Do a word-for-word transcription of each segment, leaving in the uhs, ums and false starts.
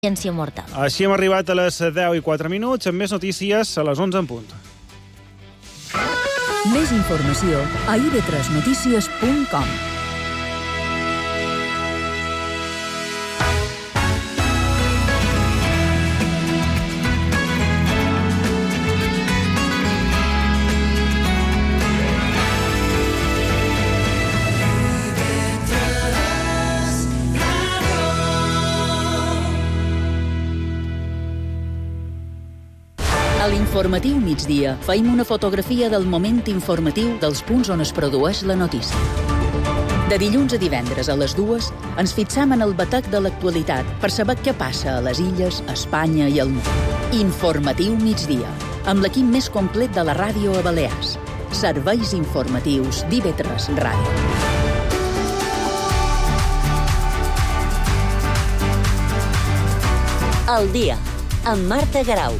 Ciència mortal. Així hem arribat a les deu i quatre minuts, amb més notícies a les onze en punt. Més informació a i ve tres notícies punt com. A l'informatiu migdia feim una fotografia del moment informatiu dels punts on es produeix la notícia. De dilluns a divendres a les dues ens fixam en el batec de l'actualitat per saber què passa a les illes, a Espanya i al món. Informatiu migdia, amb l'equip més complet de la ràdio a Balears. Serveis informatius d'I ve tres Ràdio. El dia, amb Marta Garau.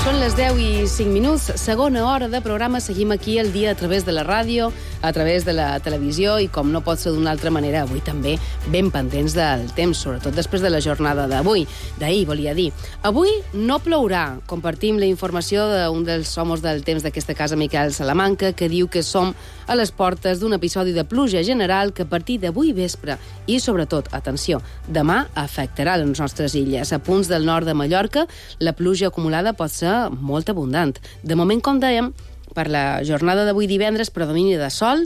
Són les deu i cinc minuts, segona hora de programa. Seguim aquí el dia a través de la ràdio, a través de la televisió i, com no pot ser d'una altra manera, avui també ben pendents del temps, sobretot després de la jornada d'avui. D'ahir, volia dir. Avui no plourà. Compartim la informació d'un dels homes del temps d'aquesta casa, Miquel Salamanca, que diu que som a les portes d'un episodi de pluja general que a partir d'avui vespre i, sobretot, atenció, demà afectarà les nostres illes. A punts del nord de Mallorca, la pluja acumulada pot ser molt abundant. De moment, com dèiem, per la jornada d'avui divendres, predomini de sol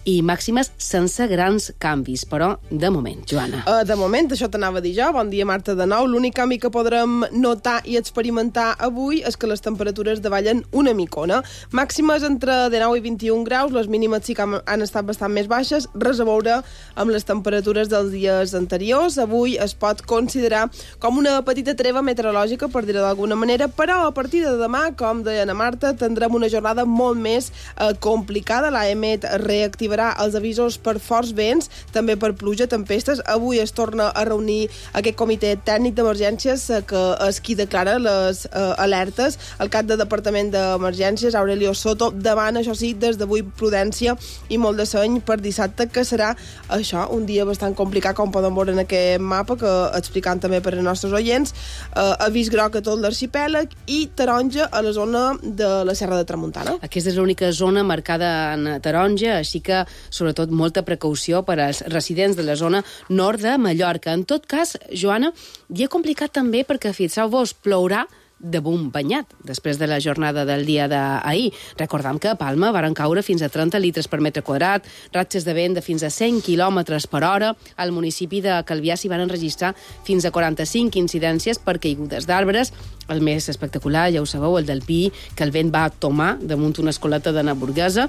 i màximes sense grans canvis, però de moment, Joana. Uh, de moment, això t'anava a dir jo. Bon dia, Marta, de nou. L'únic canvi que podrem notar i experimentar avui és que les temperatures davallen una micona. Màximes entre dinou i vint-i-un graus, les mínimes sí que han estat bastant més baixes, res a veure amb les temperatures dels dies anteriors. Avui es pot considerar com una petita treva meteorològica, per dir-ho d'alguna manera, però a partir de demà, com deia Ana Marta, tindrem una jornada molt més eh, complicada. L'A E M E T reactivarà els avisos per forts vents, també per pluja, tempestes. Avui es torna a reunir aquest comitè tècnic d'emergències eh, que és qui declara les eh, alertes. El cap de Departament d'Emergències, Aurelio Soto, demana, això sí, des d'avui prudència i molt de seny per dissabte, que serà això, un dia bastant complicat, com poden veure en aquest mapa, que explicant també per als nostres oients. Eh, avís groc a tot l'arxipèlag i taronja a la zona de la Serra de Tramuntana. Aquesta és l'única zona marcada en taronja, així que, sobretot, molta precaució per als residents de la zona nord de Mallorca. En tot cas, Joana, dia complicat també perquè, fixeu-vos, plourà de bum banyat, després de la jornada del dia d'ahir. Recordam que a Palma varen caure fins a trenta litres per metre quadrat, ratxes de vent de fins a cent quilòmetres per hora. Al municipi de Calvià s'hi van enregistrar fins a quaranta-cinc incidències per caigudes d'arbres. El més espectacular, ja ho sabeu, el del Pi, que el vent va tomar damunt una escoleta de Naburguesa.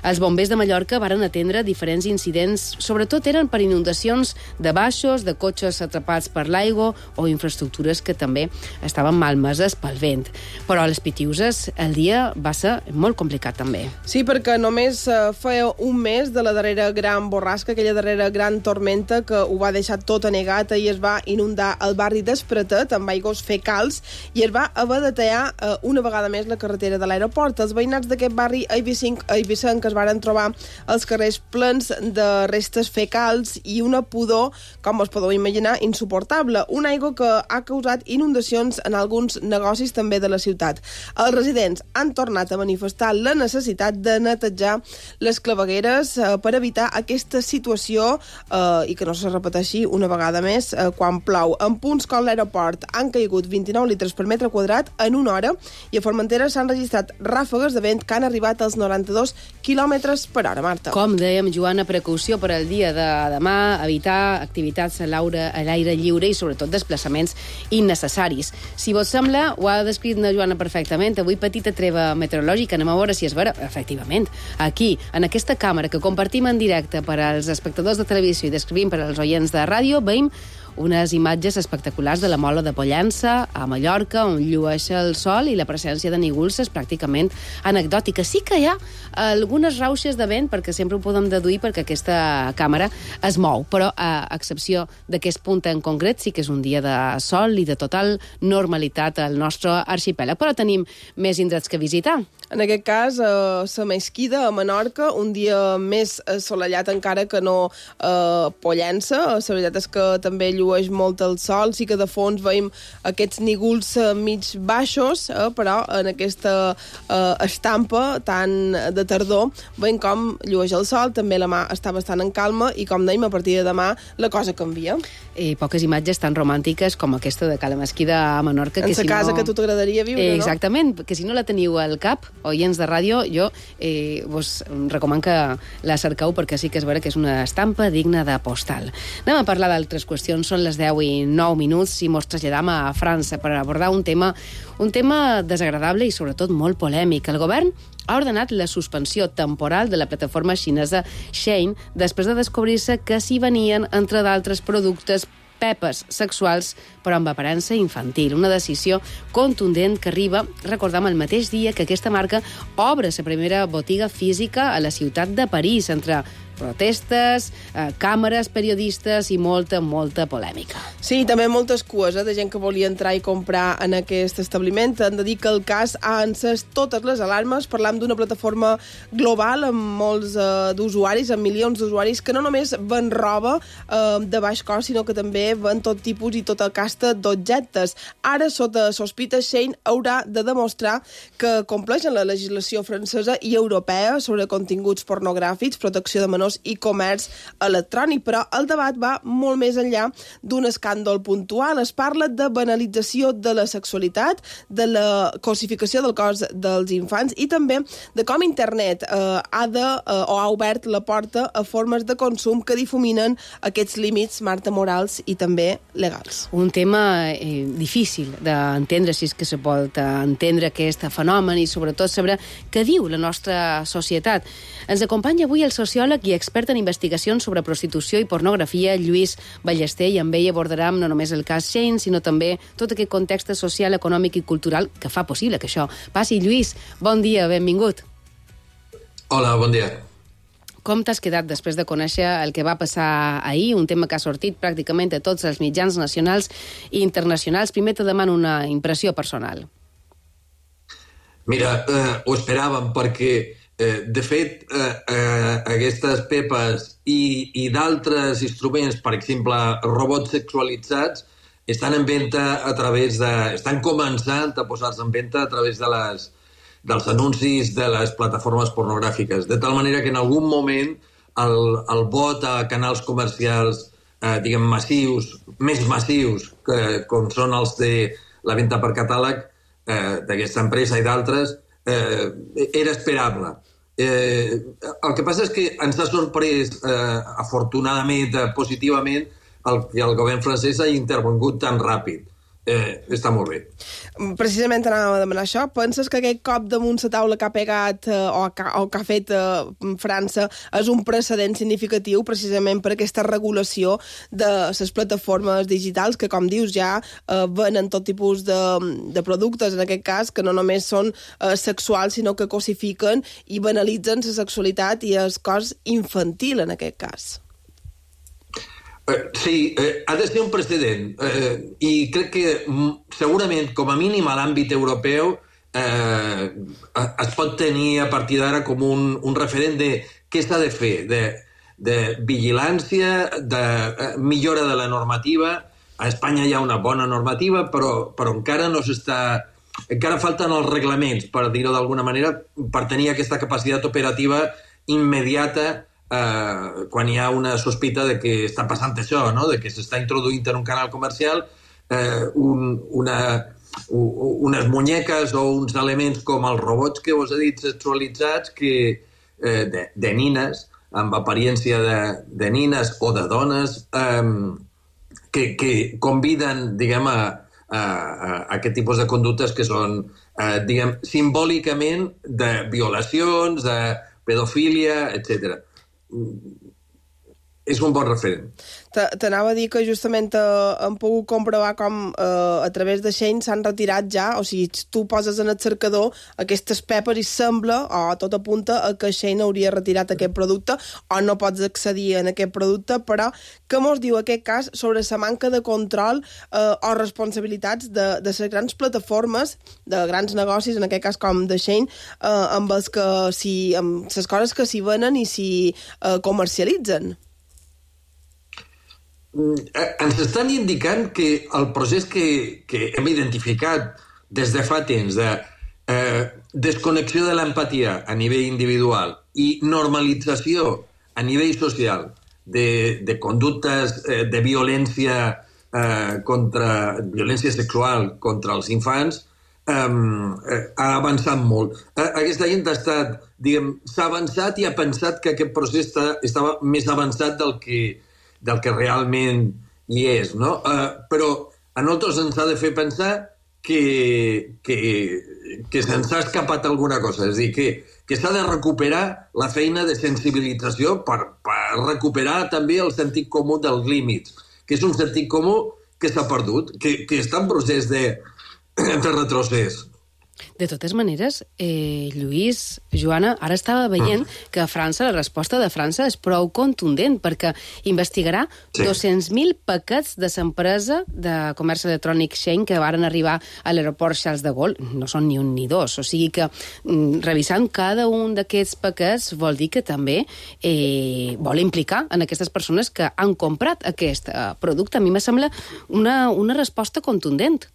Els bombers de Mallorca varen atendre diferents incidents, sobretot eren per inundacions de baixos, de cotxes atrapats per l'aigua o infraestructures que també estaven malmeses pel vent. Però a les Pitiuses el dia va ser molt complicat també. Sí, perquè només eh, feia un mes de la darrera gran borrasca, aquella darrera gran tormenta que ho va deixar tot anegat i es va inundar el barri d'Espretet amb aigües fecals i es va haver de tallar eh, una vegada més la carretera de l'aeroport. Els veïnats d'aquest barri eivissenc que es varen trobar els carrers plens de restes fecals i una pudor, com us podeu imaginar, insuportable. Una aigua que ha causat inundacions en alguns negocis també de la ciutat. Els residents han tornat a manifestar la necessitat de netejar les clavegueres eh, per evitar aquesta situació eh, i que no se repeteixi una vegada més eh, quan plou. En punts com l'aeroport han caigut vint-i-nou litres per metre quadrat en una hora i a Formentera s'han registrat ràfegues de vent que han arribat als noranta-dos quilòmetres per hora, Marta. Com dèiem, Joana, precaució per al dia de demà, evitar activitats a l'aire lliure i sobretot desplaçaments innecessaris. Si vos sembla, ho ha descrit la Joana perfectament. Avui petita treva meteorològica, anem a veure si és vera. Efectivament, aquí, en aquesta càmera que compartim en directe per als espectadors de televisió i descrivim per als oients de ràdio, veiem unes imatges espectaculars de la Mola de Pollença, a Mallorca, on llueix el sol i la presència de nígols és pràcticament anecdòtica. Sí que hi ha algunes rauxes de vent, perquè sempre ho podem deduir perquè aquesta càmera es mou, però a excepció d'aquest punt en concret sí que és un dia de sol i de total normalitat al nostre arxipèlag. Però tenim més indrets que visitar. En aquest cas, a la Mesquida, a Menorca, un dia més assolellat encara que no a Pollença. La veritat és que també llueix molt el sol, sí que de fons veiem aquests nígols mig baixos, eh, però en aquesta eh, estampa tan de tardor veiem com llueix el sol, també la mà està bastant en calma i, com dèiem, a partir de demà la cosa canvia. I poques imatges tan romàntiques com aquesta de Cala Mesquida a Menorca. En la si casa no... que tu t'agradaria viure, eh, no? Exactament, que si no la teniu al cap, oients de ràdio, jo eh, vos recomano que la cerqueu perquè sí que és vera que és una estampa digna de postal. Anem a parlar d'altres qüestions, són les deu i nou minuts i mos traslladam a França per abordar un tema, un tema desagradable i sobretot molt polèmic. El govern ha ordenat la suspensió temporal de la plataforma xinesa Shein després de descobrir-se que s'hi venien, entre d'altres productes, pepes sexuals, però amb aparença infantil. Una decisió contundent que arriba, recordam, el mateix dia que aquesta marca obre la primera botiga física a la ciutat de París, entre protestes, eh, càmeres, periodistes i molta, molta polèmica. Sí, també moltes cues eh, de gent que volia entrar i comprar en aquest establiment. Hem de dir que el cas ha encès totes les alarmes. Parlam d'una plataforma global amb molts eh, d'usuaris, amb milions d'usuaris, que no només ven roba eh, de baix cost, sinó que també ven tot tipus i tota casta d'objectes. Ara, sota sospita, Shein haurà de demostrar que compleixen la legislació francesa i europea sobre continguts pornogràfics, protecció de menors i comerç electrònic, però el debat va molt més enllà d'un escàndol puntual. Es parla de banalització de la sexualitat, de la cosificació del cos dels infants i també de com internet eh, ha de, eh, o ha obert la porta a formes de consum que difuminen aquests límits, Marta, morals i també legals. Un tema eh, difícil d'entendre, si és que se pot entendre aquest fenomen i sobretot saber què diu la nostra societat. Ens acompanya avui el sociòleg i expert en investigacions sobre prostitució i pornografia, Lluís Ballester, i amb ell abordarem no només el cas Shein, sinó també tot aquest context social, econòmic i cultural que fa possible que això passi. Lluís, bon dia, benvingut. Hola, bon dia. Com t'has quedat després de conèixer el que va passar ahir, un tema que ha sortit pràcticament a tots els mitjans nacionals i internacionals? Primer te demano una impressió personal. Mira, eh, ho esperàvem perquè Eh, de fet, eh, eh, aquestes pepes i, i d'altres instruments, per exemple, robots sexualitzats, estan en venda a través de... estan començant a posar-se en venda a través de les, dels anuncis de les plataformes pornogràfiques. De tal manera que en algun moment el, el vot a canals comercials, eh, diguem, massius, més massius, que, com són els de la venda per catàleg eh, d'aquesta empresa i d'altres, Eh, era esperable. Eh, el que passa és que ens ha sorprès, eh, afortunadament, eh, positivament, el que el govern francès ha intervingut tan ràpid. Eh, està molt bé. Precisament anàvem a demanar això. Penses que aquest cop damunt la taula que ha pegat eh, o, que, o que ha fet eh, França és un precedent significatiu precisament per aquesta regulació de les plataformes digitals que, com dius, ja eh, venen tot tipus de, de productes, en aquest cas, que no només són eh, sexuals, sinó que cosifiquen i banalitzen la sexualitat i el cos infantil, en aquest cas. Eh, sí, eh, ha de ser un precedent eh, i crec que m, segurament, com a mínim a l'àmbit europeu, eh, es pot tenir a partir d'ara com un, un referent de què s'ha de fer, de, de vigilància, de eh, millora de la normativa. A Espanya hi ha una bona normativa, però, però encara no s'està... encara falten els reglaments, per dir-ho d'alguna manera, per tenir aquesta capacitat operativa immediata Uh, quan hi ha una sospita de que està passant això, no? De que s'està introduint en un canal comercial uh, un, una, un, unes muñeques o uns elements com els robots que us he dit sexualitzats que, uh, de, de nines, amb apariència de, de nines o de dones, um, que, que conviden, diguem, a, a, a aquest tipus de conductes que són, uh, diguem, simbòlicament de violacions, de pedofília, etcètera. és un bon referent. T'anava a dir que justament eh, hem pogut comprovar com eh, a través de Shein s'han retirat ja, o sigui, tu poses en el cercador aquestes pepes i sembla, o tot apunta a que Shein hauria retirat aquest producte o no pots accedir en aquest producte, però què mos diu aquest cas sobre la manca de control eh, o responsabilitats de, de les grans plataformes, de grans negocis, en aquest cas com de Shein, eh, amb els que si, amb les coses que s'hi venen i s'hi eh, comercialitzen? Ens estan indicant que el procés que, que hem identificat des de fa temps de eh, desconnexió de l'empatia a nivell individual i normalització a nivell social de, de conductes eh, de violència eh, contra violència sexual contra els infants eh, eh, ha avançat molt. Eh, aquesta gent ha estat, diguem, s'ha avançat i ha pensat que aquest procés està, estava més avançat del que del que realment hi és, no? Uh, però a nosaltres ens ha de fer pensar que, que, que se'ns ha escapat alguna cosa, és a dir, que, que s'ha de recuperar la feina de sensibilització per, per recuperar també el sentit comú dels límits, que és un sentit comú que s'ha perdut, que, que està en procés de, de retrocés. De totes maneres, eh, Lluís, Joana, ara estava veient que a França, la resposta de França és prou contundent, perquè investigarà sí. dos-cents mil paquets de l'empresa de comerç electrònic Shein que varen arribar a l'aeroport Charles de Gaulle. No són ni un ni dos, o sigui que mm, revisant cada un d'aquests paquets vol dir que també eh, vol implicar en aquestes persones que han comprat aquest eh, producte. A mi me sembla una, una resposta contundent.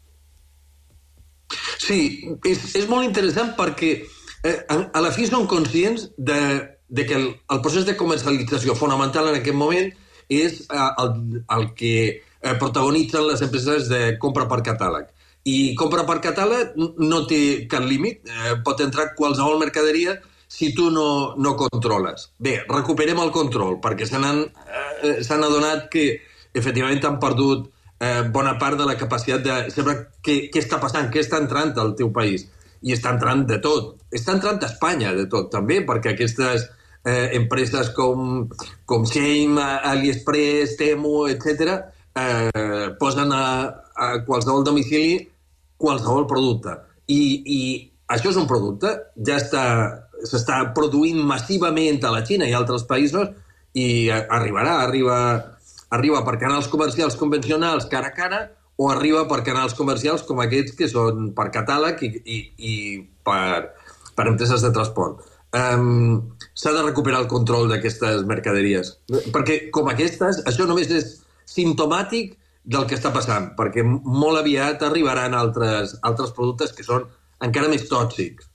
Sí, és, és molt interessant perquè eh, a, a la fi són conscients de, de que el, el procés de comercialització fonamental en aquest moment és eh, el, el que eh, protagonitzen les empreses de compra per catàleg. I compra per catàleg no té cap límit, eh, pot entrar qualsevol mercaderia si tu no, no controles. Bé, recuperem el control, perquè se n'han eh, s'han adonat que efectivament han perdut Eh, bona part de la capacitat de saber què, què està passant, què està entrant al teu país. I està entrant de tot. Està entrant a Espanya de tot, també, perquè aquestes eh, empreses com, com Shein, AliExpress, Temu, etcètera, eh, posen a, a qualsevol domicili qualsevol producte. I, i això és un producte, ja està, s'està produint massivament a la Xina i a altres països i arribarà, arriba... arriba per canals comercials convencionals cara a cara o arriba per canals comercials com aquests que són per catàleg i, i, i per, per empreses de transport. Um, s'ha de recuperar el control d'aquestes mercaderies. Perquè, com aquestes, això només és simptomàtic del que està passant, perquè molt aviat arribaran altres, altres productes que són encara més tòxics.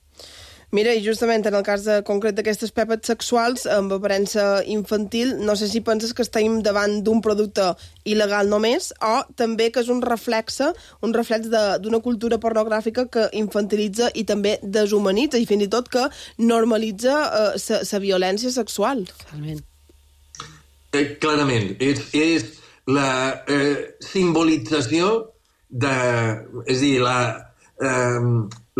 Mira, i justament en el cas de, concret d'aquestes pepes sexuals amb aparença infantil, no sé si penses que estem davant d'un producte il·legal només o també que és un reflexe, un reflex d'una cultura pornogràfica que infantilitza i també deshumanitza i fins i tot que normalitza la eh, violència sexual. Totalment. Eh, clarament. És, és la eh, simbolització de... És a dir, la, eh,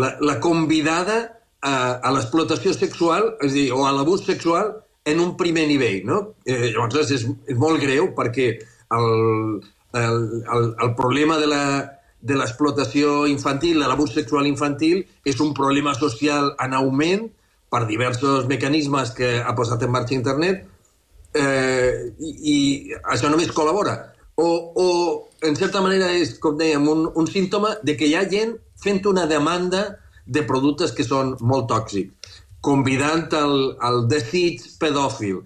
la, la convidada a, a l'explotació sexual, és a dir, o a l'abús sexual en un primer nivell, no? Eh, llavors és, és molt greu perquè el, el, el, el problema de la de l'explotació infantil, de l'abús sexual infantil, és un problema social en augment per diversos mecanismes que ha posat en marxa internet eh, i, i això només col·labora. O, o en certa manera és, com dèiem, un, un símptoma de que hi ha gent fent una demanda de productes que són molt tòxics, convidant el, el desig pedòfil.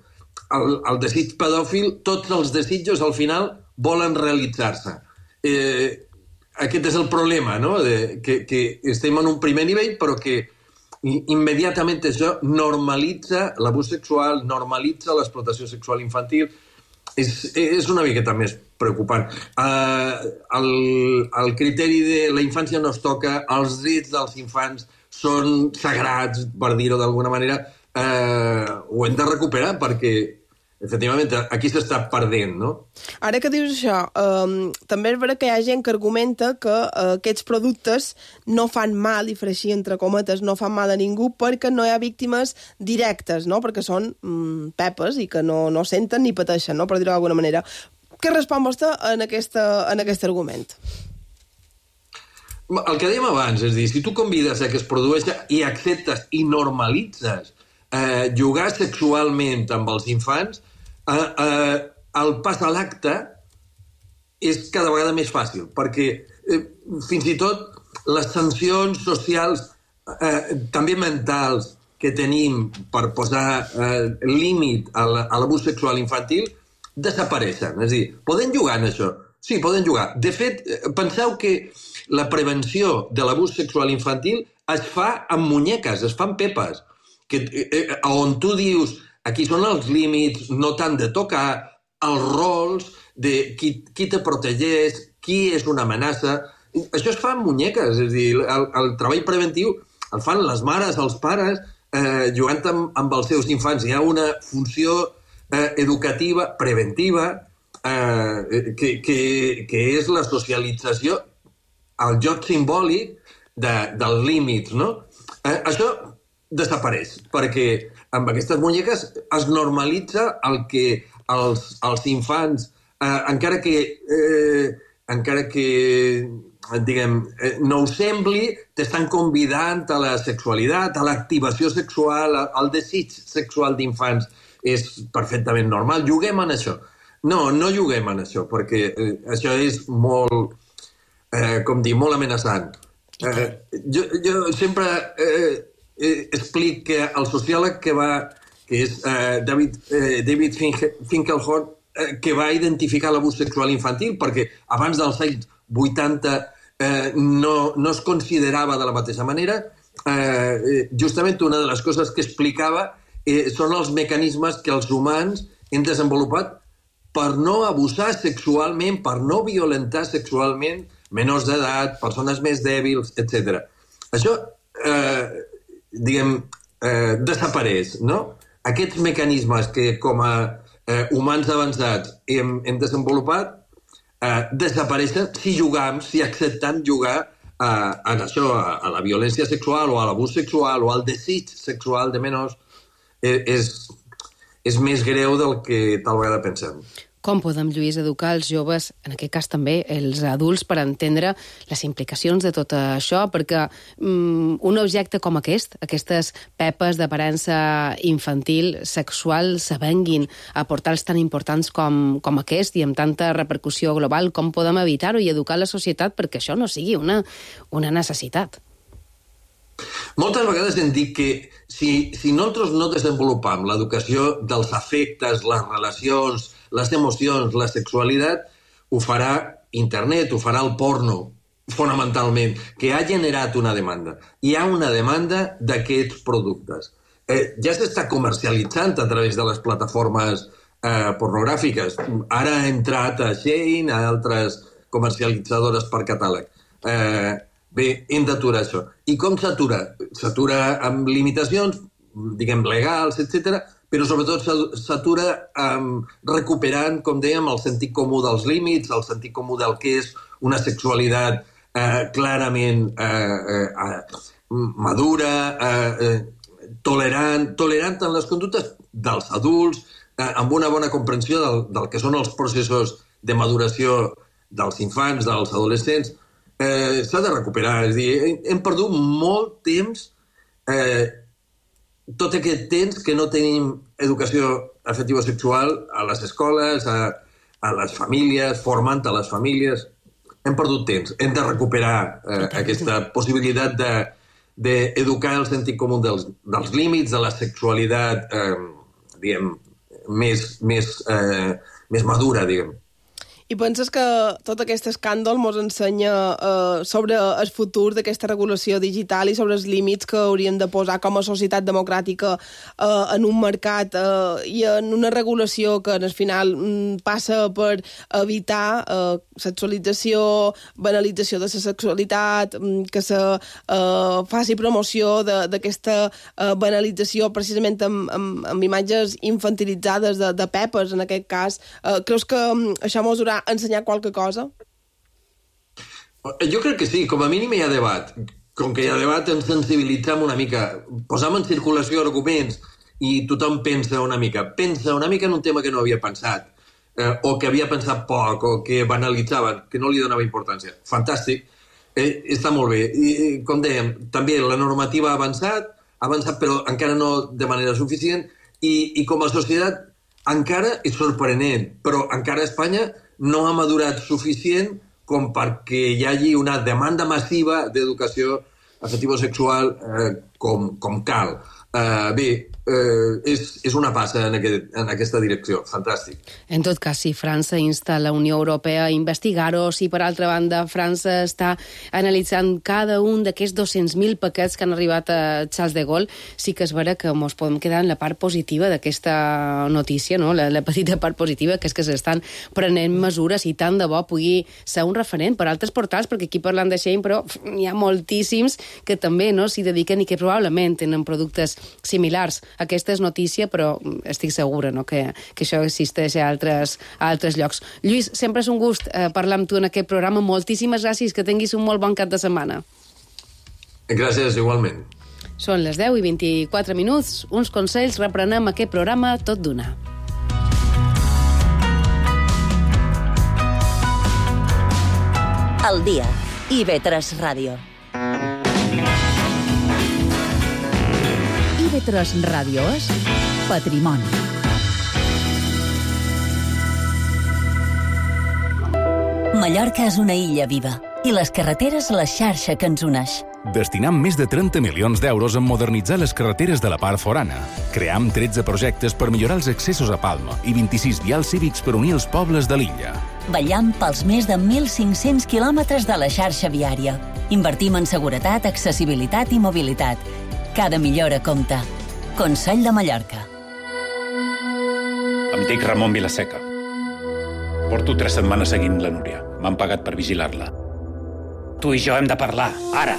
El, el desig pedòfil, tots els desitjos al final volen realitzar-se. Eh, aquest és el problema, no? De, que, que estem en un primer nivell, però que immediatament això normalitza l'abús sexual, normalitza l'explotació sexual infantil. És, és una miqueta més preocupant. Uh, el, el criteri de la infància no es toca, els drets dels infants són sagrats, per dir-ho d'alguna manera, uh, ho hem de recuperar perquè efectivament, aquí s'està perdent, no? Ara que dius això, eh, també és veritat que hi ha gent que argumenta que eh, aquests productes no fan mal, i fer així entre cometes, no fan mal a ningú perquè no hi ha víctimes directes, no? Perquè són mm, pepes i que no, no senten ni pateixen, no? Per dir-ho d'alguna manera. Què respon vostè en, aquesta, en aquest argument? El que dèiem abans, és dir, si tu convides a que es produeixi i acceptes i normalitzes eh, jugar sexualment amb els infants, eh, eh, el pas a l'acte és cada vegada més fàcil, perquè eh, fins i tot les sancions socials, eh, també mentals, que tenim per posar eh, límit a l'abús sexual infantil, desapareixen. És a dir, poden jugar en això? Sí, poden jugar. De fet, penseu que la prevenció de l'abús sexual infantil es fa amb muñeques, es fa amb pepes, que, eh, on tu dius aquí són els límits, no t'han de tocar, els rols de qui, qui te protegeix, qui és una amenaça. Això es fa amb muñeques, és a dir, el, el treball preventiu el fan les mares, els pares, eh, jugant amb, amb els seus infants. Hi ha una funció eh, educativa, preventiva, eh, que, que, que és la socialització, el joc simbòlic de, dels límits, no? Eh, això desapareix, perquè amb aquestes muñeques es normalitza el que els, els infants, eh, encara que, eh, encara que diguem, eh, no ho sembli, t'estan convidant a la sexualitat, a l'activació sexual, al desig sexual d'infants. És perfectament normal. Juguem en això. No, no juguem en això, perquè eh, això és molt... Eh, com dir, molt amenaçant. Eh, jo, jo sempre eh, eh, explic que el sociòleg que va, que és eh, David, eh, David Finkelhorn, eh, que va identificar l'abús sexual infantil, perquè abans dels anys vuitanta eh, no, no es considerava de la mateixa manera, eh, justament una de les coses que explicava eh, són els mecanismes que els humans hem desenvolupat per no abusar sexualment, per no violentar sexualment menors d'edat, persones més dèbils, etcètera. Això, eh, diguem, eh, desapareix, no? Aquests mecanismes que com a eh, humans avançats hem, hem desenvolupat eh, desapareixen si jugam, si acceptem jugar a, a això, a, a la violència sexual o a l'abús sexual o al desig sexual de menors. Eh, és, és més greu del que tal vegada pensem. Com podem, Lluís, educar els joves, en aquest cas també els adults, per entendre les implicacions de tot això? Perquè um, un objecte com aquest, aquestes pepes d'aparença infantil, sexual, s'avenguin a portals tan importants com, com aquest i amb tanta repercussió global, com podem evitar-ho i educar la societat perquè això no sigui una, una necessitat? Moltes vegades hem dit que si, si nosaltres no desenvolupam l'educació dels afectes, les relacions, les emocions, la sexualitat, ho farà internet, ho farà el porno, fonamentalment, que ha generat una demanda. Hi ha una demanda d'aquests productes. Eh, ja s'està comercialitzant a través de les plataformes eh, pornogràfiques. Ara ha entrat a Shein, a altres comercialitzadores per catàleg. Eh, bé, hem d'aturar això. I com s'atura? S'atura amb limitacions, diguem, legals, etcètera, però sobretot s'atura um, recuperant, com dèiem, el sentit comú dels límits, el sentit comú del que és una sexualitat eh, clarament eh, eh, madura, eh, eh, tolerant, tolerant en les conductes dels adults, eh, amb una bona comprensió del, del que són els processos de maduració dels infants, dels adolescents. Eh, s'ha de recuperar. És a dir, hem perdut molt temps eh, tot aquest temps que no tenim educació afectivo-sexual a les escoles, a, a les famílies, formant a les famílies. Hem perdut temps. Hem de recuperar eh, aquesta possibilitat de, d'educar el sentit comú dels, dels límits, de la sexualitat eh, diguem, més, més, eh, més madura, diguem. I penses que tot aquest escàndol ens ensenya eh, sobre el futur d'aquesta regulació digital i sobre els límits que hauríem de posar com a societat democràtica eh, en un mercat eh, i en una regulació que al final mm, passa per evitar eh, sexualització, banalització de la sexualitat, mm, que se eh, faci promoció d'aquesta eh, banalització precisament amb, amb, amb imatges infantilitzades de, de pepes, en aquest cas. Eh, creus que mm, això mos haurà ensenyat qualque cosa? Jo crec que sí, com a mínim hi ha debat. Com que hi ha debat, ens sensibilitzem una mica, posam en circulació arguments i tothom pensa una mica. Pensa una mica en un tema que no havia pensat, eh, o que havia pensat poc, o que banalitzaven, que no li donava importància. Fantàstic, eh, està molt bé. I, com dèiem, també la normativa ha avançat, ha avançat però encara no de manera suficient, i, i com a societat encara és sorprenent, però encara Espanya no ha madurat suficient com perquè hi hagi una demanda massiva d'educació afectivo-sexual eh, com, com cal. Eh, bé, eh, és, és una passa en, aquest, en aquesta direcció. Fantàstic. En tot cas, si França insta la Unió Europea a investigar-ho, si per altra banda França està analitzant cada un d'aquests dos-cents mil paquets que han arribat a Charles de Gaulle, sí que és vera que ens podem quedar en la part positiva d'aquesta notícia, no? la, la petita part positiva, que és que s'estan prenent mesures i tant de bo pugui ser un referent per altres portals, perquè aquí parlant de Shein, però n'hi ha moltíssims que també no s'hi dediquen i que probablement tenen productes similars. Aquesta és notícia, però estic segura no? que, que això existeix a altres, a altres llocs. Lluís, sempre és un gust eh, parlar amb tu en aquest programa. Moltíssimes gràcies, que tinguis un molt bon cap de setmana. Gràcies, igualment. Són les deu i vint-i-quatre minuts. Uns consells, reprenem aquest programa tot d'una. Al dia. I ve tres Ràdio. I ve tres Ràdio és patrimoni. Mallorca és una illa viva i les carreteres la xarxa que ens uneix. Destinam més de trenta milions d'euros en modernitzar les carreteres de la part forana. Cream tretze projectes per millorar els accessos a Palma i vint-i-sis vials cívics per unir els pobles de l'illa. Vetllam pels més de mil cinc-cents quilòmetres de la xarxa viària. Invertim en seguretat, accessibilitat i mobilitat. Cada millora compta. Consell de Mallorca. Em dic Ramon Vilaseca. Porto tres setmanes seguint la Núria. M'han pagat per vigilar-la. Tu i jo hem de parlar, ara!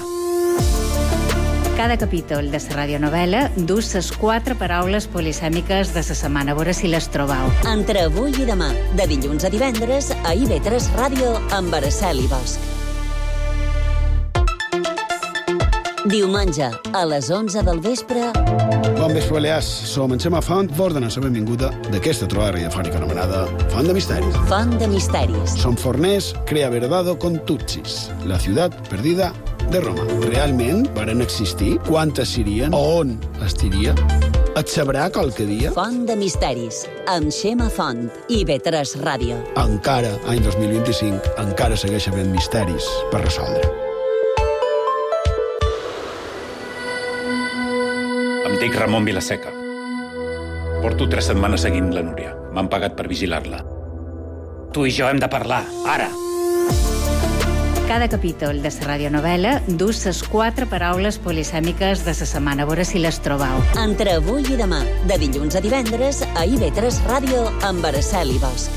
Cada capítol de la radionovela dus les quatre paraules polisèmiques de la setmana. A veure si les trobeu. Entre avui i demà, de dilluns a divendres, a I ve tres Ràdio amb Araceli Bosch. Diumenge, a les onze del vespre... Bon vespre, Balears. Som en Xema Font, vos donem la benvinguda d'aquesta trobada radiofònica anomenada Font de Misteris. Font de Misteris. Som forners, crea verdado con tutsis, la ciutat perdida de Roma. Realment varen existir? Quantes serien? On estiria? Et sabrà qualque dia? Font de Misteris, amb Xema Font, I ve tres Ràdio. Encara, any dos mil vint-i-cinc, encara segueix havent misteris per resoldre. Em dic Ramon Vilaseca. Porto tres setmanes seguint la Núria. M'han pagat per vigilar-la. Tu i jo hem de parlar, ara! Cada capítol de la radionovela dus les quatre paraules polisèmiques de la setmana. A veure si les trobeu. Entre avui i demà, de dilluns a divendres, a I ve tres Ràdio amb Araceli Bosch.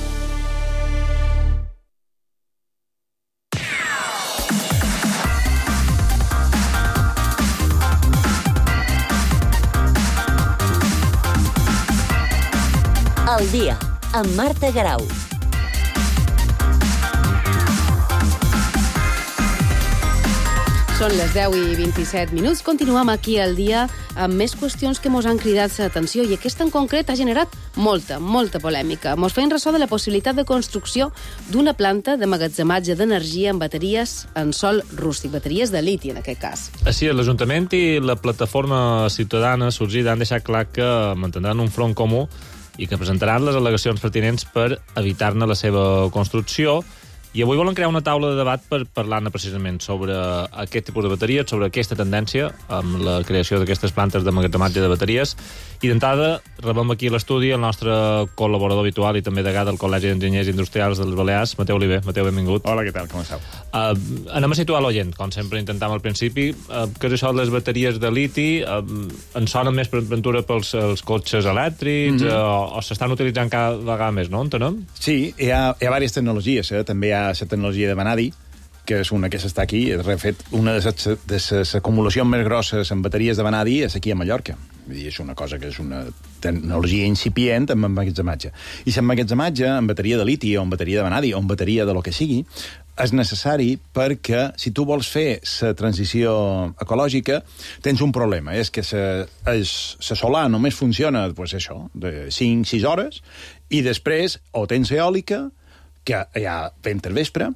Al dia, amb Marta Garau. Són les deu i vint-i-set minuts. Continuem aquí al dia amb més qüestions que mos han cridat l'atenció i aquesta en concret ha generat molta, molta polèmica. Mos feien ressò de la possibilitat de construcció d'una planta de magatzematge d'energia en bateries en sòl rústic, bateries de liti en aquest cas. Així, l'Ajuntament i la plataforma ciutadana sorgida han deixat clar que mantindran un front comú i que presentaran les al·legacions pertinents per evitar-ne la seva construcció. I avui volen crear una taula de debat per parlar-ne precisament sobre aquest tipus de bateries, sobre aquesta tendència amb la creació d'aquestes plantes de magatzematge de bateries. I d'entrada rebem aquí a l'estudi el nostre col·laborador habitual i també degà del Col·legi d'Enginyers Industrials dels Balears, Mateu Oliver. Mateu, benvingut. Hola, què tal? Com esteu? Uh, anem a situar l'oient, com sempre intentàvem al principi. Uh, què és això de les bateries de liti? Uh, en sonen més per aventura pels els cotxes elèctrics? Mm -hmm. uh, o s'estan utilitzant cada vegada més, no? Entenem? Sí, hi ha, hi ha diverses tecnologies. Eh? També hi ha la tecnologia de vanadi, que és una que s'està aquí. De fet, una de les, de les acumulacions més grosses en bateries de vanadi és aquí a Mallorca. I és una cosa que és una tecnologia incipient amb emmagatzematge. I l'emmagatzematge en bateria de liti o en bateria de vanadi o en bateria de lo que sigui és necessari perquè si tu vols fer la transició ecològica tens un problema, és que la solar només funciona pues això, de cinc a sis hores i després o tens eòlica, que hi ha vent al vespre,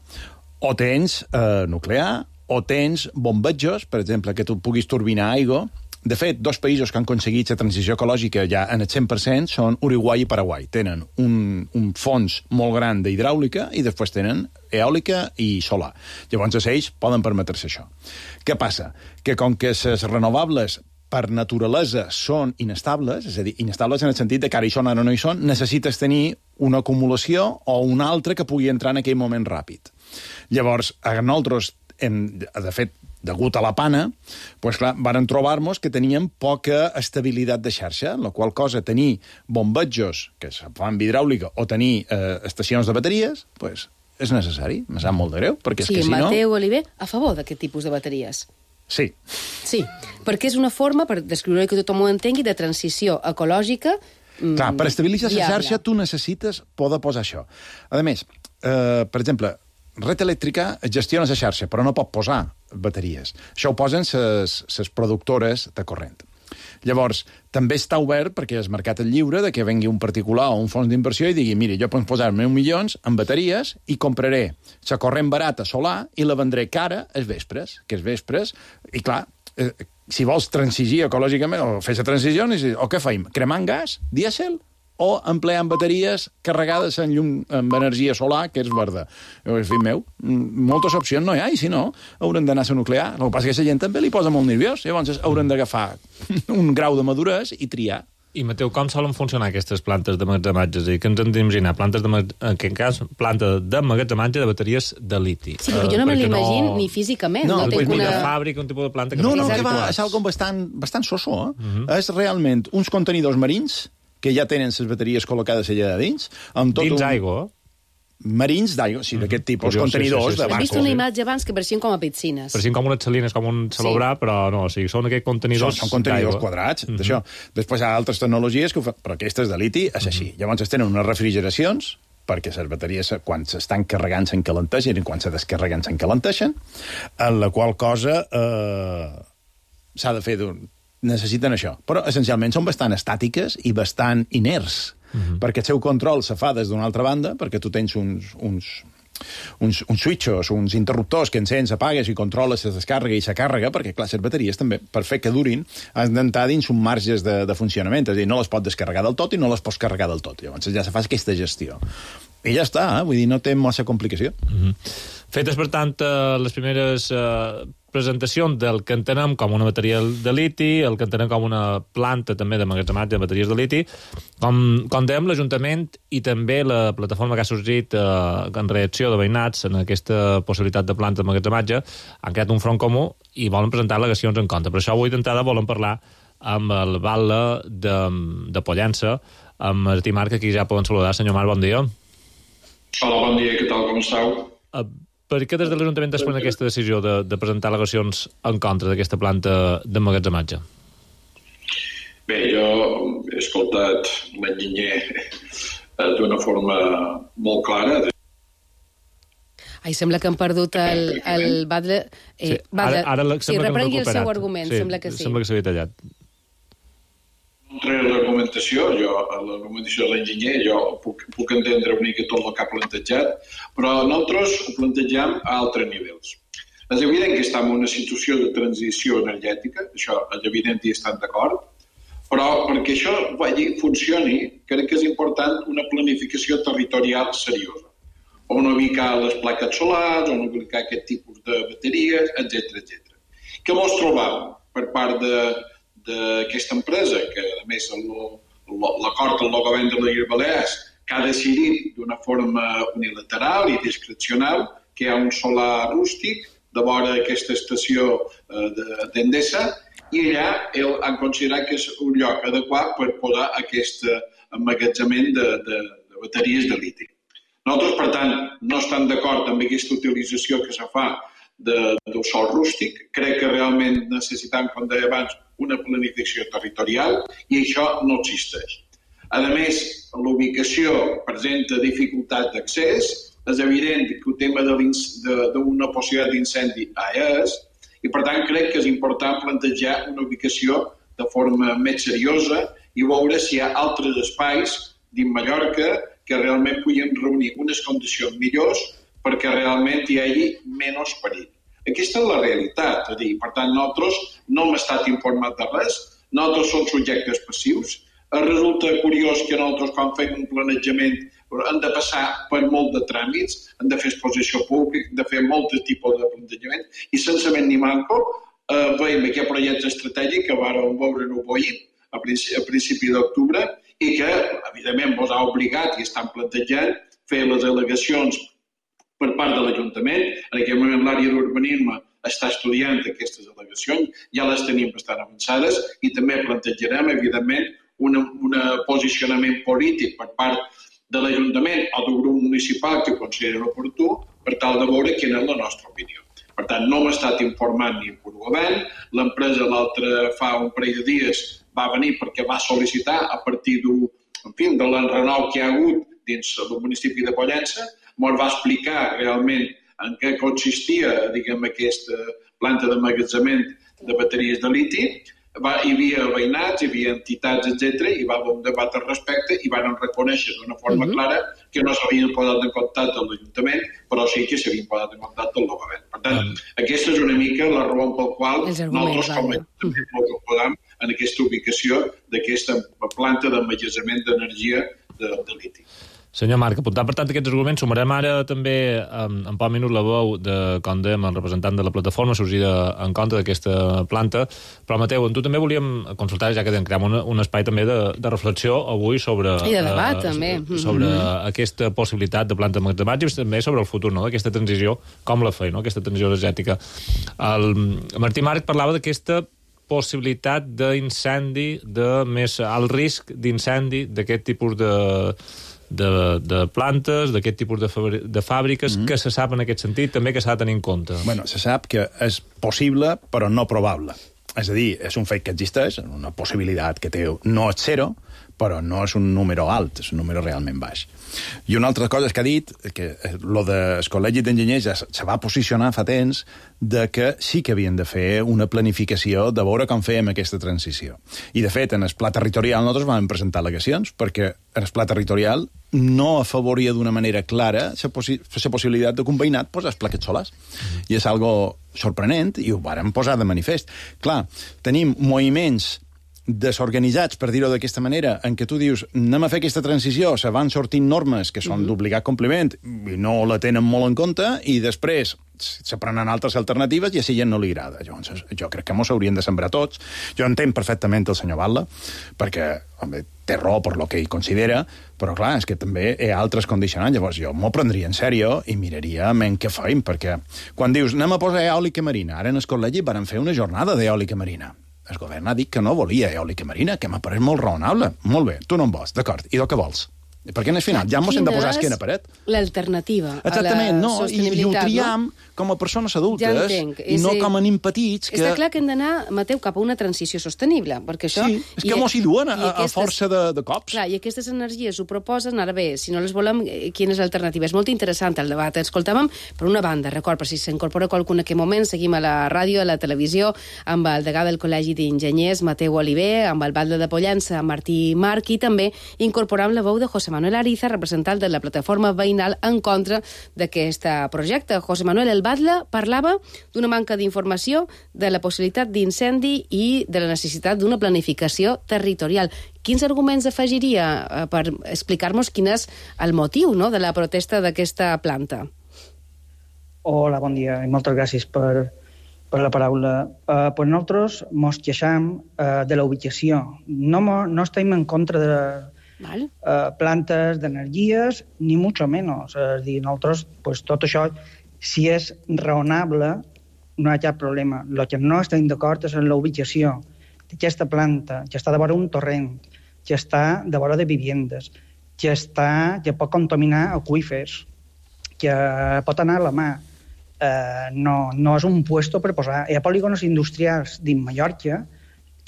o tens eh, nuclear, o tens bombetjos, per exemple, que tu puguis turbinar aigua. De fet, dos països que han aconseguit la transició ecològica ja en el cent per cent són Uruguai i Paraguai. Tenen un, un fons molt gran d'hidràulica i després tenen eòlica i solar. Llavors, ells poden permetre-se això. Què passa? Que com que les renovables per naturalesa són inestables, és a dir, inestables en el sentit de que ara hi són, ara no hi són, necessites tenir una acumulació o una altra que pugui entrar en aquell moment ràpid. Llavors, a nosaltres, hem, de fet, degut a la pana, pues clar, varen trobar-nos que teníem poca estabilitat de xarxa, en la qual cosa tenir bombetjos que se fan amb hidràulica o tenir eh, estacions de bateries, pues, és necessari. Me sap molt de greu, perquè és sí, que si no... Sí, Mateu Oliver, a favor d'aquest tipus de bateries. Sí. Sí, perquè és una forma, per descriure que tothom ho entengui, de transició ecològica. Clar, per estabilitzar la xarxa tu necessites poder posar això. A més, eh, per exemple, Red Elèctrica gestiona la xarxa, però no pot posar bateries. Això ho posen les productores de corrent. Llavors, també està obert perquè el mercat és lliure de que vengui un particular o un fons d'inversió i digui, mira, jo puc posar-me un milions en bateries i compraré la corrent barata solar i la vendré cara els vespres, que els vespres, i clar, eh, si vols transigir ecològicament o fer la transició, o què feim? Cremant gas, dièsel, o empleant bateries carregades en llum, amb energia solar, que és verda. En fi, meu, moltes opcions no hi ha, i si no, haurem d'anar a la nuclear. El que passa és que la gent també li posa molt nerviós, llavors haurem d'agafar un grau de maduresa i triar. I, Mateu, com solen funcionar aquestes plantes d'emmagatzematge? És a dir, què ens hem d'imaginar? Plantes de, en aquest cas, planta d'emmagatzematge de bateries de liti. Sí, perquè jo no me l'imagino no... ni físicament. No, no, no una... ni de fàbrica, un tipus de planta que no, no, no, que va, és algo bastant, bastant soso, eh? Uh -huh. És realment uns contenidors marins que ja tenen les bateries col·locades allà de dins. Amb tot dins un... aigua? Marins d'aigua, sí, d'aquest tipus, Curiós, contenidors sí, sí, sí. de barco. He vist una imatge abans que pareixien com a piscines. Pareixien com unes salines, com un celobrar, sí. Però no, o sigui, són aquests contenidors Són, són contenidors quadrats, uh-huh. d'això. Després hi ha altres tecnologies, que ho fa... però aquestes de liti és així. Uh-huh. Llavors es tenen unes refrigeracions, perquè les bateries, quan s'estan carregant, s'encalenteixen, i quan se descarreguen, s'encalenteixen, en la qual cosa eh, s'ha de fer d'un... necessiten això. Però, essencialment, són bastant estàtiques i bastant inerts, uh-huh. perquè el seu control se fa des d'una altra banda, perquè tu tens uns, uns, uns, uns switchos, uns interruptors que encens, apagues i controles la descàrrega i la càrrega, perquè, clar, les bateries també, per fer que durin, han d'entrar dins un marges de, de funcionament, és a dir, no les pot descarregar del tot i no les pots carregar del tot. Llavors ja se fa aquesta gestió. I ja està, eh? Vull dir, no té massa complicació. Uh-huh. Fetes, per tant, les primeres eh, presentacions del que entenem com una bateria de liti, el que entenem com una planta també d'emmagatzematge de bateries de liti, com, com dèiem, l'Ajuntament i també la plataforma que ha sorgit eh, en reacció de veïnats en aquesta possibilitat de planta d'emmagatzematge han creat un front comú i volen presentar al·legacions en contra. Per això avui d'entrada volen parlar amb el batlle de, de Pollença, amb Martí Marc, aquí ja poden saludar. Senyor Marc, bon dia. Hola, bon dia, què tal, com esteu? Uh, per què des de l'Ajuntament es pren aquesta decisió de, de presentar al·legacions en contra d'aquesta planta d'emmagatzematge? Bé, jo he escoltat l'enginyer d'una forma molt clara. Ai, sembla que han perdut el, el batlle... Eh, sí, ara, ara sí, reprengui el seu argument, sí, sembla que sí. Sembla que s'havia tallat. No entraré en l'argumentació, jo, l'argumentació de l'enginyer, jo puc, puc entendre una mica tot el que ha plantejat, però nosaltres ho plantegem a altres nivells. És evident que estem en una situació de transició energètica, això és evident i estan d'acord, però perquè això vagi, funcioni, crec que és important una planificació territorial seriosa. On ubicar les plaques solars, on ubicar aquest tipus de bateries, etcètera, etcètera. Què mos trobam per part de, d'aquesta empresa, que a més l'acord amb el govern de les Illes Balears que ha decidit d'una forma unilateral i discrecional que hi ha un solar rústic de vora aquesta estació d'Endesa i allà han considerat que és un lloc adequat per posar aquest emmagatzemament de, de, de bateries de liti. Nosaltres, per tant, no estem d'acord amb aquesta utilització que se fa de, del sol rústic. Crec que realment necessitem, com deia abans, una planificació territorial i això no existeix. A més, l'ubicació presenta dificultat d'accés, és evident que el tema d'una possibilitat d'incendi és, i per tant crec que és important plantejar una ubicació de forma més seriosa i veure si hi ha altres espais dins Mallorca que realment puguin reunir unes condicions millors perquè realment hi hagi menys perill. Aquesta és la realitat, és a dir, per tant, nosaltres no hem estat informats de res, nosaltres som subjectes passius. Resulta curiós que nosaltres, quan fem un planejament, hem de passar per molt de tràmits, hem de fer exposició pública, hem de fer molt tipus de plantejament, i sense ment ni manco eh, veiem aquest projecte estratègic que vàrem veure en Uboi a principi, a principi d'octubre i que, evidentment, vos ha obligat i estan plantejant fer les al·legacions per part de l'Ajuntament. En aquest moment l'àrea d'urbanisme està estudiant aquestes al·legacions, ja les tenim bastant avançades i també plantejarem, evidentment, un posicionament polític per part de l'Ajuntament o del grup municipal que ho consideri oportú per tal de veure quina és la nostra opinió. Per tant, no hem estat informant ni per govern. L'empresa l'altre fa un parell de dies va venir perquè va sol·licitar a partir de l'enrenou que hi ha hagut dins del municipi de Pollença. Ens va explicar realment en què consistia, diguem, aquesta planta d'emmagatzemament de bateries de liti. Va, hi havia veïnats, hi havia entitats, etcètera, i va haver un debat al respecte i van reconèixer d'una forma clara que no s'havien posat en contacte amb l'Ajuntament, però sí que s'havien posat en contacte amb el govern. Per tant, aquesta és una mica la raó pel qual nosaltres com a Ajuntament ens oposem en aquesta ubicació d'aquesta planta d'emmagatzemament d'energia de, de liti. Senyor Marc, apuntant per tant aquests arguments, sumarem ara també en, en poc minut la veu de, com dèiem, el representant de la plataforma sorgida en contra d'aquesta planta. Però, Mateu, amb tu també volíem consultar, ja que creem un, un espai també de, de reflexió avui sobre... I de debat, eh, també. Sobre mm-hmm. aquesta possibilitat de planta d'emmagatzematge i també sobre el futur, no?, d'aquesta transició, com la feia, no?, aquesta transició energètica. El Martí Marc parlava d'aquesta possibilitat d'incendi, de més alt risc d'incendi d'aquest tipus de... De, de plantes, d'aquest tipus de, de fàbriques, mm-hmm. que se sap en aquest sentit, també que s'ha de tenir en compte. Bueno, se sap que és possible, però no probable. És a dir, és un fet que existeix, una possibilitat que té, no és zero, però no és un número alt, és un número realment baix. I una altra cosa que ha dit, que lo del Col·legi d'Enginyers ja se va posicionar fa temps, de que sí que havien de fer una planificació de veure com fèiem aquesta transició. I, de fet, en el pla territorial nosaltres vam presentar al·legacions, perquè en el pla territorial no afavoria d'una manera clara la possi possibilitat de que un veïnat posés plaques solars. Mm. I és algo sorprenent, i ho vàrem posar de manifest. Clar, tenim moviments desorganitzats, per dir-ho d'aquesta manera, en què tu dius, anem a fer aquesta transició, se van sortint normes que són mm-hmm. d'obligat compliment i no la tenen molt en compte, i després se prenen altres alternatives i a si ja no li agrada. Llavors, jo crec que mos haurien de sembrar tots. Jo entenc perfectament el senyor Batlle, perquè, home, té raó per lo que ell considera, però clar, és que també hi ha altres condicionants. Llavors jo m'ho prendria en sèrio i miraria en què feim, perquè quan dius, anem a posar eòlica marina, ara en el col·legi van fer una jornada d'eòlica marina. El govern ha dit que no volia eòlica marina, que m'ha pareix molt raonable. Molt bé, tu no en vols, d'acord. I del que vols? Perquè en el final ja mos hem de posar esquena a paret. L'alternativa a la no, sostenibilitat, i, i ho triam no? com a persones adultes, ja entenc. i no com a nen petits. Que... Està clar que hem d'anar, Mateu, cap a una transició sostenible, perquè això... Sí, és que mos hi duen a, aquestes, a força de, de cops. Clar, i aquestes energies ho proposen, ara bé, si no les volem, quina és l'alternativa? És molt interessant el debat. Escoltàvem, per una banda, record, per si s'incorpora qualcú en aquest moment, seguim a la ràdio, a la televisió, amb el degà del Col·legi d'Enginyers, Mateu Oliver, amb el batlle de Pollença, Martí Marc, i també incorporant la veu de José Manuel Ariza, representant de la plataforma veïnal en contra d'aquest projecte. José Manuel, el batlle parlava d'una manca d'informació, de la possibilitat d'incendi i de la necessitat d'una planificació territorial. Quins arguments afegiria per explicar-nos quin és el motiu, no?, de la protesta d'aquesta planta? Hola, bon dia i moltes gràcies per, per la paraula. Uh, pues nosaltres mos queixam uh, de la ubicació. No, mo, no estem en contra de uh, plantes d'energies, ni mucho menos. És dir, nosaltres, pues, tot això, si és raonable, no hi ha cap problema. El que no estem d'acord és en la ubicació d'aquesta planta, que està de vora un torrent, que està de vora de viviendes, que, està, que pot contaminar aqüífers, que pot anar a la mà. Eh, no, no és un puesto per posar. Hi ha polígonos industrials dins Mallorca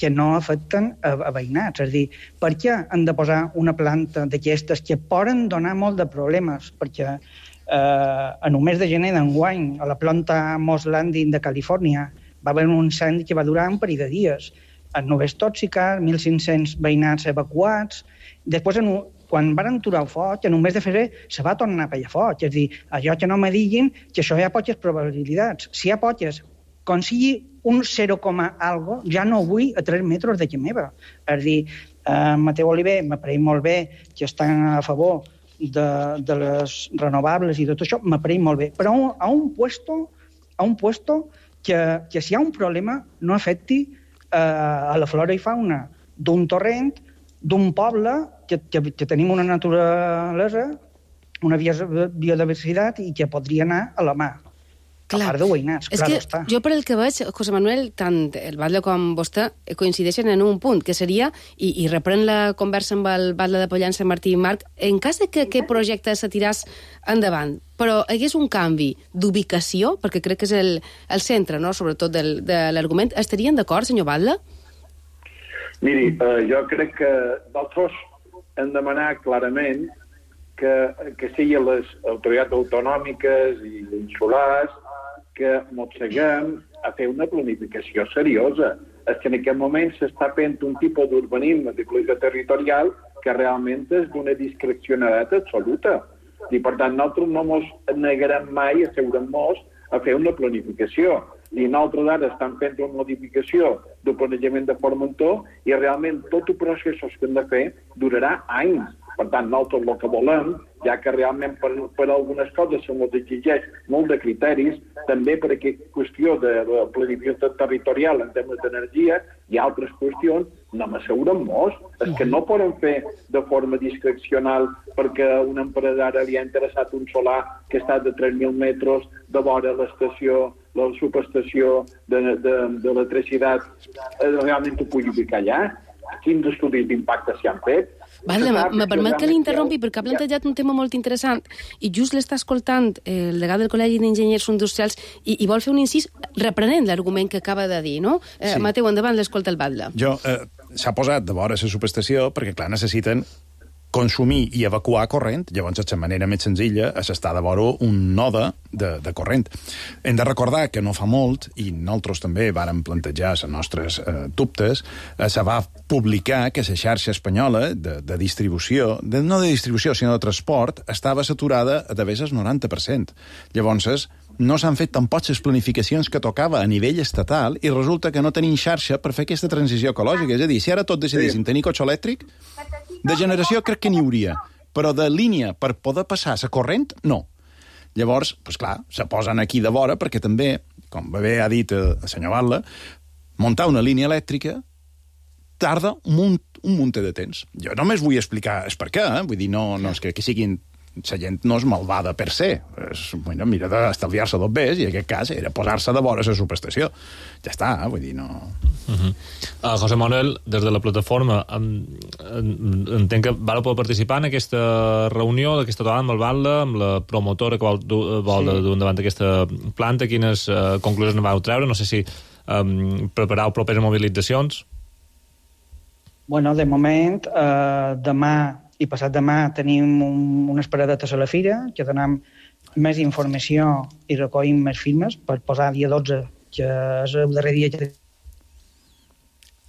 que no afecten a, a veïnats. És a dir, per què han de posar una planta d'aquestes que poden donar molt de problemes? Perquè eh, en un mes de gener d'enguany, a la planta Moss Landing de Califòrnia, va haver un incendi que va durar un parell de dies. En nubes tòxiques, mil cinc-cents veïnats evacuats. Després, en un, quan van aturar el foc, en un mes de febrer se va tornar a pegar foc. És a dir, allò que no me diguin que això hi ha poques probabilitats. Si hi ha poques, com sigui un zero, algo, ja no vull a tres metres de casa meva. És a dir, eh, Mateu Oliver m'apareix molt bé que estan a favor de, de les renovables i tot això, m'apareix molt bé. Però a un, a un puesto, a un puesto que, que si hi ha un problema no afecti eh, a la flora i fauna d'un torrent, d'un poble que, que, que tenim una naturalesa, una biodiversitat i que podria anar a la mà. Clar. A part de veïnats, és clar que està. Jo per el que veig, José Manuel, tant el Batlle com vostè coincideixen en un punt, que seria, i, i reprèn la conversa amb el Batlle de Pollença, Martí i Marc, en cas de que aquest projecte se tiràs endavant, però hi hagués un canvi d'ubicació, perquè crec que és el, el centre, no?, sobretot del, de l'argument, estarien d'acord, senyor Batlle? Miri, eh, jo crec que nosaltres hem demanat clarament que, que siguin les autoritats autonòmiques i insulars que mosseguem a fer una planificació seriosa. És que en aquest moment s'està fent un tipus d'urbanisme de qualitat territorial que realment és d'una discrecionalitat absoluta. I, per tant, nosaltres no ens negarem mai a asseure'ns a fer una planificació. I nosaltres ara estem fent una modificació del planejament de Formentor i realment tots els processos que hem de fer durarà anys. Per tant, nosaltres el que volem, ja que realment per, per algunes coses se ens exigeix molt de criteris, també per aquesta qüestió de, de planificació territorial en temes d'energia i altres qüestions, no m'asseguren molts. És que no poden fer de forma discrecional perquè a una empresària li ha interessat un solar que està de tres mil metres de vora l'estació, la subestació d'electricitat, realment ho pugui ubicar allà. Quins estudis d'impacte s'hi han fet? Vale, me permet que l'interrompi perquè ha plantejat un tema molt interessant i just l'està escoltant el degà del Col·legi d'Enginyers Industrials i, i vol fer un incís reprenent l'argument que acaba de dir, no? Eh, sí. Mateu, endavant, l'escolta el Batlle. Jo, eh, s'ha posat de vora la subestació perquè, clar, necessiten consumir i evacuar corrent, llavors és la manera més senzilla és estar de vora un node de, de corrent. Hem de recordar que no fa molt, i nosaltres també vàrem plantejar les nostres eh, dubtes, eh, se va publicar que la xarxa espanyola de, de distribució, de, no de distribució, sinó de transport, estava saturada a d'haver el noranta per cent. Llavors, no s'han fet tampoc les planificacions que tocava a nivell estatal i resulta que no tenim xarxa per fer aquesta transició ecològica. És a dir, si ara tot decidissin tenir cotxe elèctric, de generació crec que n'hi hauria, però de línia per poder passar la corrent, no. Llavors, doncs clar, se posen aquí de vora perquè també, com bé ha dit el senyor Batlle, muntar una línia elèctrica tarda un munt, un munt de temps. Jo només vull explicar el per què, eh? Vull dir, no, no és que, que siguin... La gent no és malvada per se. És, bueno, mira d'estalviar-se dos bes, i en aquest cas era posar-se de vora la subestació. Ja està, eh? Vull dir, no... Uh -huh. uh, José Manuel, des de la plataforma, um, entenc que vau poder participar en aquesta reunió d'aquesta trobada amb el Batlle, amb la promotora que vol, vol sí. dur endavant aquesta planta. Quines uh, conclusions en vau treure? No sé si um, preparau properes mobilitzacions. Bueno, de moment, eh, demà i passat demà tenim un, unes paradetes a la fira que donem més informació i recollim més firmes per posar dia dotze, que és el darrer dia que...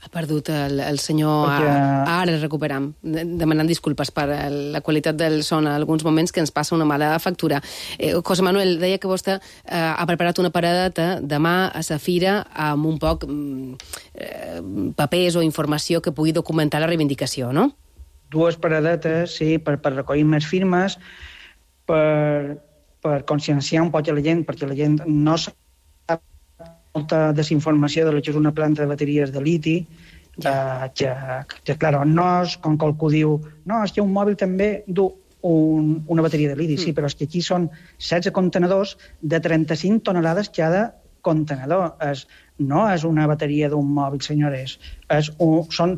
Ha perdut el, el senyor... Perquè... Ara el recuperam, demanant disculpes per la qualitat del son en alguns moments que ens passa una mala factura. Eh, José Manuel, deia que vostè eh, ha preparat una paradeta demà a la fira amb un poc eh, papers o informació que pugui documentar la reivindicació, no? Dues paradetes, sí, per, per recollir més firmes, per, per conscienciar un poc a la gent, perquè la gent no sap molta desinformació de lo que és una planta de bateries de liti, ja. eh, que, que, clar, no és com que algú diu no, és que un mòbil també du un, una bateria de liti, mm. sí, però és que aquí són setze contenedors de trenta-cinc tonelades cada contenedor. És, no és una bateria d'un mòbil, senyores. És un, són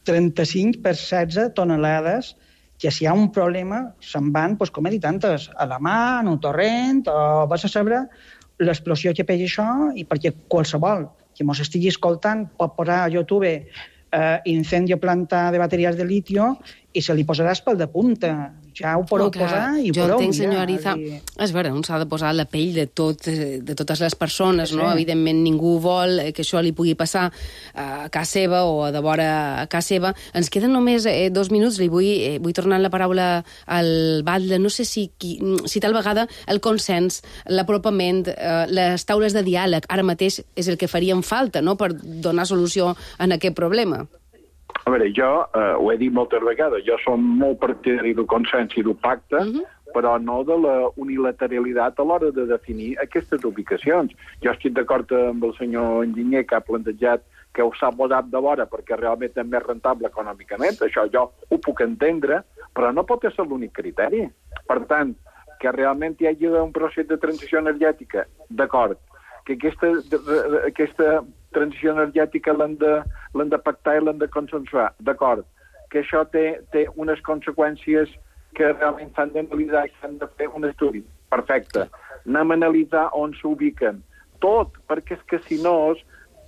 trenta-cinc per setze tonelades que si hi ha un problema se'n van, doncs, com he dit antes, a la mà, en un torrent, o vas a saber l'explosió que pega això, i perquè qualsevol que mos estigui escoltant pot posar a YouTube eh, incendio planta de bateries de litio i se li posaràs pel de punta. Ja ho podeu no, posar i ho jo podeu entenc, mirar. senyor Ariza, i... és vera, un s'ha de posar la pell de, tot, de totes les persones, sí. no? Evidentment ningú vol que això li pugui passar a casa seva o a de vora a casa seva. Ens queden només eh, dos minuts, li vull, eh, vull tornar la paraula al Batlle. No sé si, si tal vegada el consens, l'apropament, eh, les taules de diàleg ara mateix és el que farien falta, no?, per donar solució a aquest problema. A veure, jo eh, ho he dit moltes vegades, jo som molt partidari del consens i del pacte, uh-huh. però no de la unilateralitat a l'hora de definir aquestes ubicacions. Jo estic d'acord amb el senyor enginyer que ha plantejat que ho s'ha posat de vora perquè realment és més rentable econòmicament, això jo ho puc entendre, però no pot ser l'únic criteri. Per tant, que realment hi hagi un procés de transició energètica, d'acord, que aquesta, aquesta transició energètica l'hem de, l'hem de pactar i l'hem de consensuar, d'acord, que això té, té unes conseqüències que realment s'han d'analitzar i s'han de fer un estudi. Perfecte. Anem a analitzar on s'ubiquen. Tot, perquè és que si no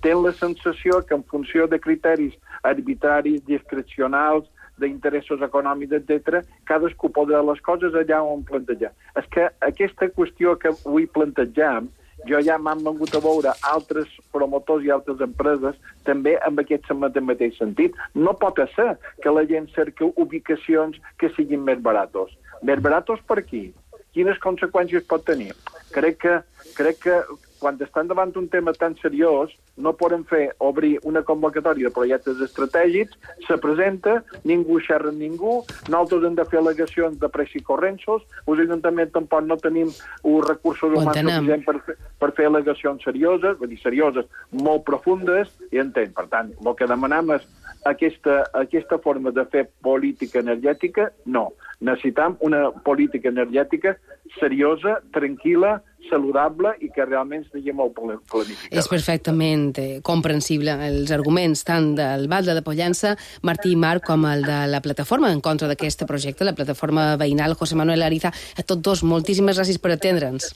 tenen la sensació que en funció de criteris arbitraris, discrecionals, d'interessos econòmics, etcètera, cadascú podrà les coses allà on plantejar. És que aquesta qüestió que avui plantegem, jo ja m'han vengut a veure altres promotors i altres empreses també amb aquest mateix sentit. No pot ser que la gent cerca ubicacions que siguin més baratos. Més baratos per aquí? Quines conseqüències pot tenir? Crec que, crec que quan estan davant un tema tan seriós no podem fer obrir una convocatòria de projectes estratègics, se presenta, ningú xerra amb ningú, nosaltres hem de fer al·legacions de pressa i correnços, els ajuntaments tampoc no tenim uns recursos humans suficients per, per fer al·legacions serioses, vull dir, serioses, molt profundes, i entenc. Per tant, el que demanem és aquesta, aquesta forma de fer política energètica, no. Necessitem una política energètica seriosa, tranquil·la, saludable i que realment estigui molt planificada. És perfectament eh, comprensible els arguments tant del Batlle de Pollença, Martí Marc, com el de la plataforma en contra d'aquest projecte, la plataforma veïnal José Manuel Ariza. A tots dos, moltíssimes gràcies per atendre'ns.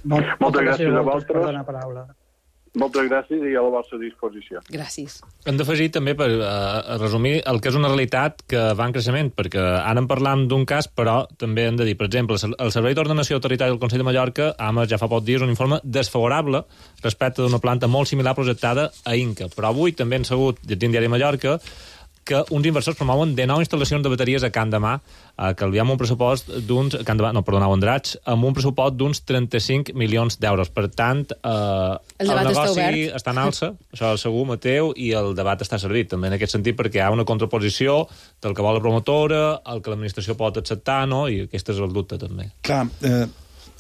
Molt, moltes gràcies a vosaltres. Moltes gràcies i a la vostra disposició. Gràcies. Hem d'afegir també, per uh, resumir, el que és una realitat que va en creixement, perquè ara en parlam d'un cas, però també hem de dir, per exemple, el Servei d'Ordenació Territorial del Consell de Mallorca ha emès ja fa pocs dies un informe desfavorable respecte d'una planta molt similar projectada a Inca. Però avui també han sabut, llegint Diari Mallorca, que uns inversors promouen de nou instal·lacions de bateries a Can Demà, eh, que li ha un pressupost d'uns... Can Demà, no, perdoneu, Andratx, amb un pressupost d'uns trenta-cinc milions d'euros. Per tant, eh, el, el negoci està, està en alça, això segur, Mateu, i el debat està servit, també en aquest sentit, perquè hi ha una contraposició del que vol la promotora, el que l'administració pot acceptar, no? I aquest és el dubte, també. Clar, eh,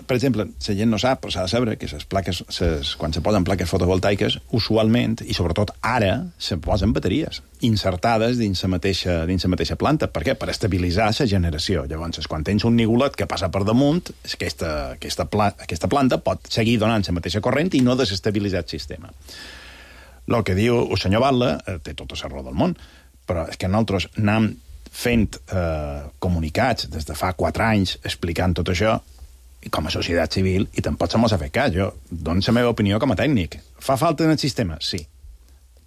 per exemple, la gent no sap, però s'ha de saber que les plaques, ses, quan se posen plaques fotovoltaiques, usualment, i sobretot ara, se posen bateries insertades dins la mateixa, dins la mateixa planta. Per què? Per estabilitzar la generació. Llavors, quan tens un nigolet que passa per damunt, aquesta, aquesta, pla, aquesta planta pot seguir donant la mateixa corrent i no desestabilitzar el sistema. El que diu el senyor Batlle eh, té tota la raó del món, però és que nosaltres anem fent eh, comunicats des de fa quatre anys explicant tot això, i com a societat civil, i tampoc se mos ha fet cas. Jo dono la meva opinió com a tècnic. Fa falta en el sistema? Sí.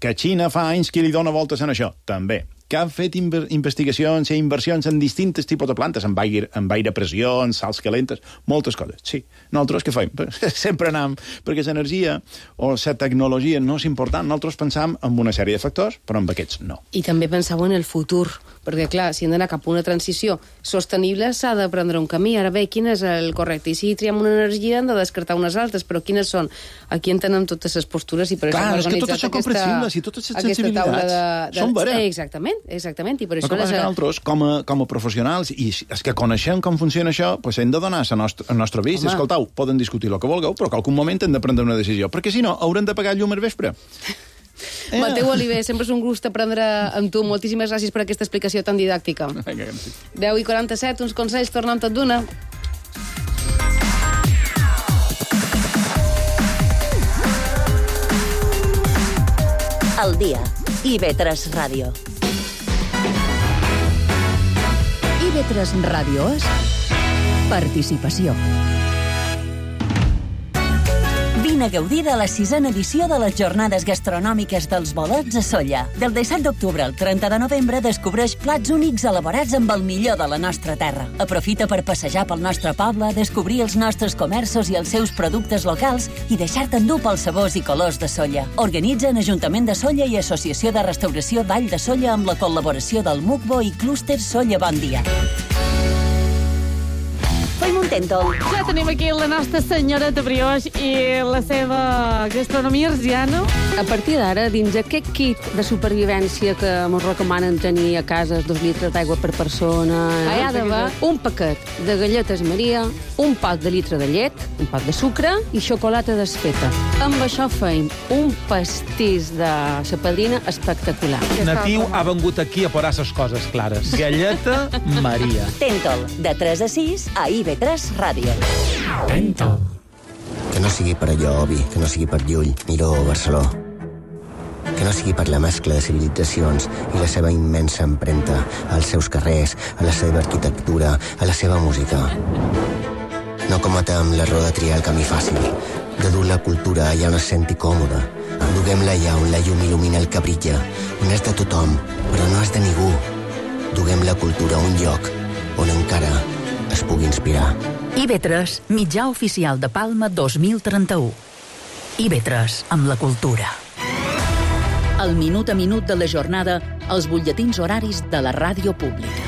Que Xina fa anys que li dona voltes en això? També. Que han fet investigacions i inversions en distints tipus de plantes, amb aire, amb aire pressió, en sals calentes, moltes coses. Sí. Nosaltres què fem? Sempre anem, perquè l'energia o la tecnologia no és important. Nosaltres pensam en una sèrie de factors, però amb aquests no. I també penseu en el futur. perquè, clar, si hem d'anar cap a una transició sostenible, s'ha de prendre un camí. Ara bé, quin és el correcte? I si triem una energia, hem de descartar unes altres, però quines són? Aquí en tenen totes les postures i per clar, això hem organitzat aquesta, comprensibles i totes les sensibilitats de, de... són veres. Eh, exactament, exactament. I per això les... que nosaltres, com a, com a professionals, i és que coneixem com funciona això, pues hem de donar el nostre, nostre avís. Escoltau, poden discutir el que vulgueu, però que algun moment hem de prendre una decisió, perquè si no, haurem de pagar llum al vespre. Eh. Mateu Oliver, sempre és un gust aprendre amb tu. Moltíssimes gràcies per aquesta explicació tan didàctica. deu i quaranta-set, uns consells, tornem tot d'una. Al dia. I ve tres Ràdio. I ve tres Ràdio és participació. Vine a gaudir de la sisena edició de les Jornades Gastronòmiques dels Bolets a Sóller. Del disset d'octubre al trenta de novembre descobreix plats únics elaborats amb el millor de la nostra terra. Aprofita per passejar pel nostre poble, descobrir els nostres comerços i els seus productes locals i deixar-te endur pels sabors i colors de Sóller. Organitzen Ajuntament de Sóller i Associació de Restauració Vall de Sóller amb la col·laboració del MUCBO i Clúster Sóller Bon Dia. Fem un tèntol. Ja tenim aquí la nostra senyoreta Brioix i la seva gastronomia arsiana. A partir d'ara, dins aquest kit de supervivència que ens recomanen tenir a casa, dos litres d'aigua per persona, hi ha d'haver un paquet de galletes Maria, un pot de litre de llet, un pot de sucre i xocolata desfeta. Amb això feim un pastís de la padrina espectacular. Natiu ha vengut aquí a posar les coses clares. Galleta Maria. Tèntol, de tres a sis a I V tres Ràdio. Tèntol. Que no sigui per allò, Obi, que no sigui per Llull, Miró o Barceló. Que no sigui per la mescla de civilitzacions i la seva immensa empremta als seus carrers, a la seva arquitectura, a la seva música. No cometem l'error de triar el camí fàcil, de dur la cultura allà on es senti còmode. Duguem-la allà on la llum il·lumina el que brilla, on és de tothom, però no és de ningú. Duguem la cultura a un lloc on encara es pugui inspirar. I V tres, mitjà oficial de Palma dos mil trenta-u. I V tres, amb la cultura. El minut a minut de la jornada, els butlletins horaris de la ràdio pública.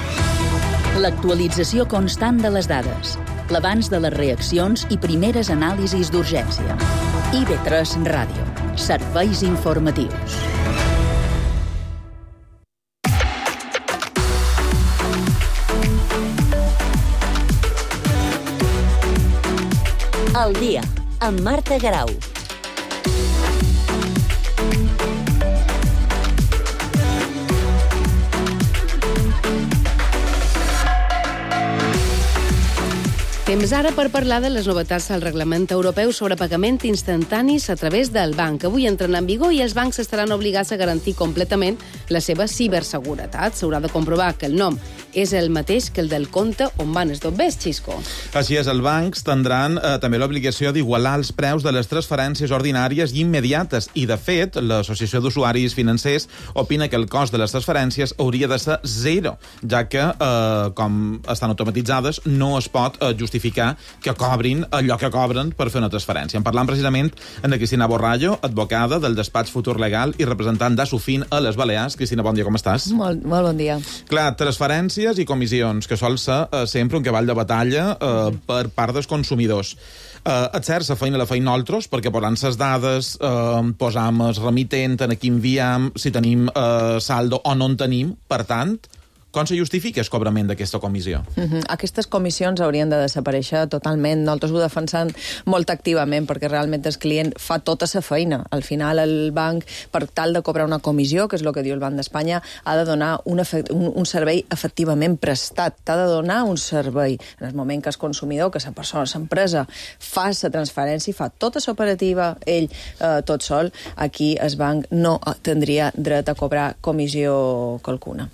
L'actualització constant de les dades, l'abans de les reaccions i primeres anàlisis d'urgència. I V tres Ràdio. Serveis informatius. Al dia, amb Marta Garau. Temps ara per parlar de les novetats del reglament europeu sobre pagament instantanis a través del banc. Avui entren en vigor i els bancs estaran obligats a garantir completament la seva ciberseguretat. S'haurà de comprovar que el nom és el mateix que el del compte on van els dobbers, Xisco. Així és, els bancs tindran eh, també l'obligació d'igualar els preus de les transferències ordinàries i immediates. I, de fet, l'Associació d'Usuaris Financers opina que el cost de les transferències hauria de ser zero, ja que, eh, com estan automatitzades, no es pot eh, justificar que cobrin allò que cobren per fer una transferència. En parlant precisament amb la Cristina Borrallo, advocada del despatx Futur Legal i representant d'Asufin a les Balears. Cristina, bon dia, com estàs? Molt, molt bon dia. Clar, transferències i comissions, que sol ser eh, sempre un cavall de batalla eh, per part dels consumidors. Eh, és cert, la feina la feim nosaltres, perquè posant les dades, eh, posam el remitent, en aquí enviam, si tenim eh, saldo o no en tenim, per tant, com se justifica el cobrament d'aquesta comissió? Uh-huh. Aquestes comissions haurien de desaparèixer totalment. Nosaltres ho defensem molt activament perquè realment el client fa tota la feina. Al final el banc, per tal de cobrar una comissió, que és el que diu el Banc d'Espanya, ha de donar un, un, un servei efectivament prestat. T'ha de donar un servei. En el moment que el consumidor, que la persona, l'empresa, fa la transferència i fa tota l'operativa, ell eh, tot sol, aquí el banc no tindria dret a cobrar comissió qualcuna.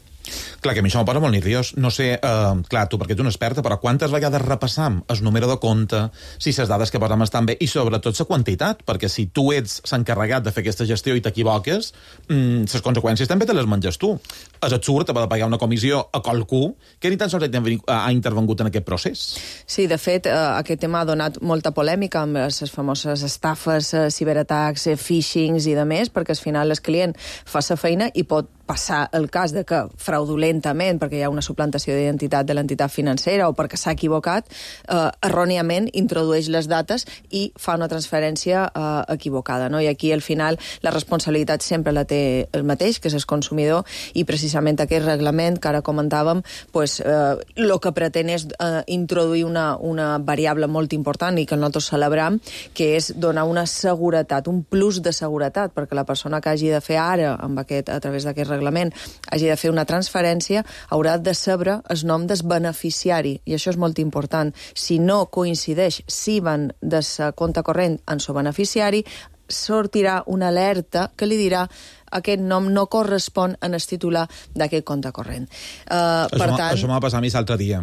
Clar, que a mi això m'ho posa molt nerviós. No sé, eh, clar, tu perquè ets una experta, però quantes vegades repassam el número de compte, si les dades que posam estan bé, i sobretot la quantitat, perquè si tu ets s'encarregat de fer aquesta gestió i t'equivoques, mmm, les conseqüències també te les menges tu. És absurd haver de pagar una comissió a qualcú que ni tan sols ha intervengut en aquest procés. Sí, de fet, eh, aquest tema ha donat molta polèmica amb les famoses estafes, eh, ciberatacs, eh, phishings i de més, perquè al final el client fa la feina i pot passar el cas de que fraudulentament, perquè hi ha una suplantació d'identitat de l'entitat financera o perquè s'ha equivocat, eh, erròniament introdueix les dates i fa una transferència eh, equivocada. No? I aquí, al final, la responsabilitat sempre la té el mateix, que és el consumidor, i precisament aquest reglament que ara comentàvem, pues, eh, el que pretén és eh, introduir una, una variable molt important i que nosaltres celebrem, que és donar una seguretat, un plus de seguretat, perquè la persona que hagi de fer ara, amb aquest, a través d'aquest reglament, hagi de fer una transferència, haurà de saber el nom del beneficiari, i això és molt important. Si no coincideix si van de sa compte corrent en su beneficiari, sortirà una alerta que li dirà aquest nom no correspon en el titular d'aquest compte corrent. Uh, això per tant... això m'ha passat a mi l'altre dia,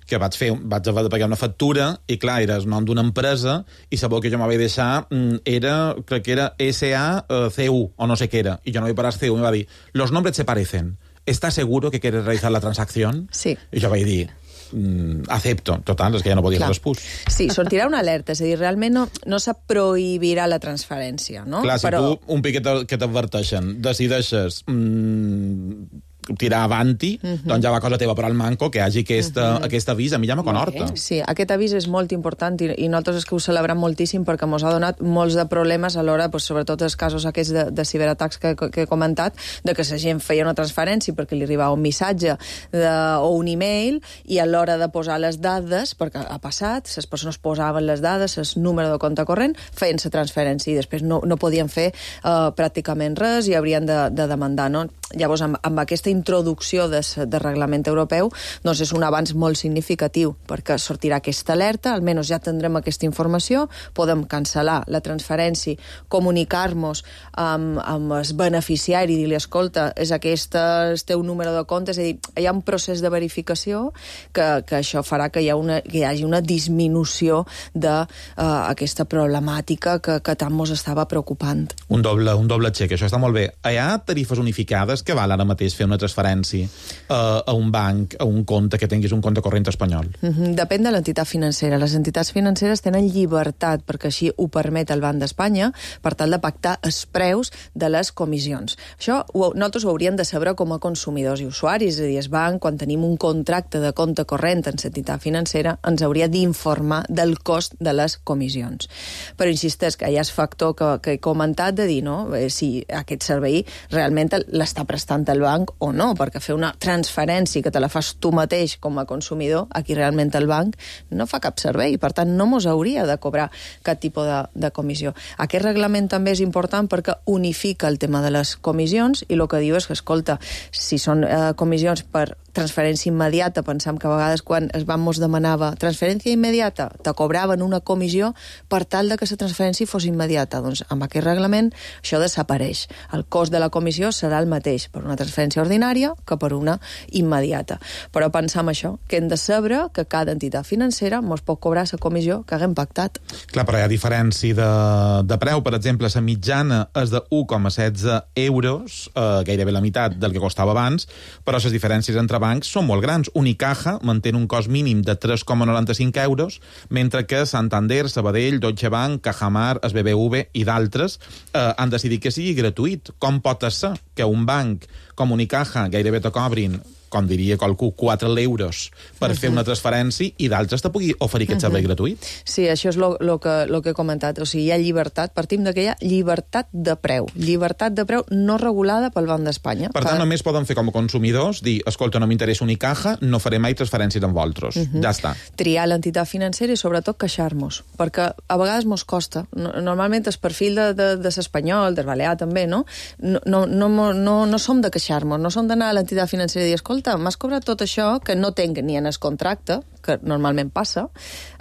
que vaig fer, vaig haver de pagar una factura i, clar, era el nom d'una empresa i sabeu que jo m'havia deixat, era, crec que era S A C U o no sé què era, i jo no vaig parar C U i em va dir, los nombres se parecen, ¿estás seguro que quieres realizar la transacción? Sí. I jo vaig dir, mm, acepto. Total, és que ja no podia fer l'espús. Sí, sortirà una alerta, és a dir, realment no, no se prohibirà la transferència, no? Clar, si Però... tu, un piquet que t'adverteixen, decideixes mm, tirar avanti, uh -huh. doncs ja va cosa teva, però al manco que hi hagi aquesta, uh -huh. aquest avís, a mi ja me conhorta. Sí, aquest avís és molt important i, i nosaltres és que ho celebrem moltíssim perquè ens ha donat molts de problemes a l'hora, pues, sobretot els casos aquests de, de ciberatacs que, que he comentat, de que la gent feia una transferència perquè li arribava un missatge de, o un e-mail i a l'hora de posar les dades, perquè ha passat, les persones posaven les dades, el número de compte corrent, feien la transferència i després no, no podien fer uh, pràcticament res i haurien de, de demandar, no? Llavors, amb, amb aquesta introducció de, de reglament europeu, doncs és un avanç molt significatiu, perquè sortirà aquesta alerta, almenys ja tindrem aquesta informació, podem cancel·lar la transferència, comunicar-nos amb, amb el beneficiari, dir-li, escolta, és aquest el teu número de compte, és a dir, hi ha un procés de verificació que, que això farà que hi, ha una, que hi hagi una disminució d'aquesta uh, problemàtica que, que tant mos estava preocupant. Un doble, un doble xec, això està molt bé. Hi ha tarifes unificades que val ara mateix fer una transferència uh, a un banc, a un compte que tinguis un compte corrent espanyol? Mm-hmm. Depèn de l'entitat financera. Les entitats financeres tenen llibertat, perquè així ho permet el Banc d'Espanya, per tal de pactar els preus de les comissions. Això ho, nosaltres ho hauríem de saber com a consumidors i usuaris, és a dir, el banc, quan tenim un contracte de compte corrent en l'entitat financera, ens hauria d'informar del cost de les comissions. Però insisteix que hi ha el factor que, que he comentat de dir, no?, eh, si aquest servei realment l'està prestant el banc o no, perquè fer una transferència que te la fas tu mateix com a consumidor, aquí realment el banc no fa cap servei, per tant no mos hauria de cobrar cap tipus de, de comissió. Aquest reglament també és important perquè unifica el tema de les comissions i el que diu és que, escolta, si són eh, comissions per transferència immediata, pensam que a vegades quan es van mos demanava transferència immediata, te cobraven una comissió per tal de que la transferència fos immediata. Doncs amb aquest reglament això desapareix. El cost de la comissió serà el mateix per una transferència ordinària que per una immediata. Però pensam això, que hem de saber que cada entitat financera mos pot cobrar la comissió que haguem pactat. Clar, però hi ha diferència de, de preu. Per exemple, la mitjana és de u coma setze euros, eh, gairebé la meitat del que costava abans, però les diferències entre bancs són molt grans. Unicaja manté un cost mínim de tres coma noranta-cinc euros, mentre que Santander, Sabadell, Deutsche Bank, Cajamar, el B B V i d'altres eh, han decidit que sigui gratuït. Com pot ser que un banc com Unicaja gairebé te cobrin, com diria qualcú, quatre euros per uh -huh. fer una transferència i d'altres te pugui oferir aquest servei uh -huh. gratuït? Sí, això és el que, lo que he comentat. O sigui, hi ha llibertat, partim de que hi ha llibertat de preu. Llibertat de preu no regulada pel Banc d'Espanya. Per tant, que... només poden fer com a consumidors dir, escolta, no m'interessa Unicaja, no faré mai transferències amb vosaltres. Uh -huh. Ja està. Triar l'entitat financera i sobretot queixar-nos, perquè a vegades mos costa. Normalment el perfil de, de, de l'espanyol, del balear també, no? No, no, no, no, no som de queixar-nos, no som d'anar a l'entitat financera i dir, escolta, m'has cobrat tot això que no tinc ni en el contracte, que normalment passa,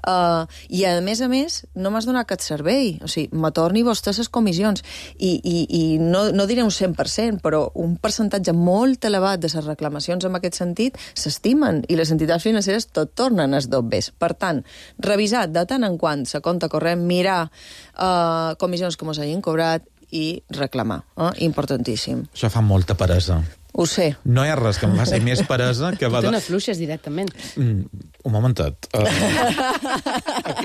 uh, i a més a més no m'has donat cap servei, o sigui, me torni vostè les comissions, i, i, i no, no diré un cent per cent, però un percentatge molt elevat de les reclamacions en aquest sentit s'estimen, i les entitats financeres tot tornen als dobbers. Per tant, revisar de tant en quant la compte corrent, mirar uh, comissions que mos hagin cobrat i reclamar, eh? Importantíssim. Això fa molta peresa. Ho sé. No hi ha res que em faci més peresa que... Va de... Te n'afluixes directament. Mm, un momentet. Uh,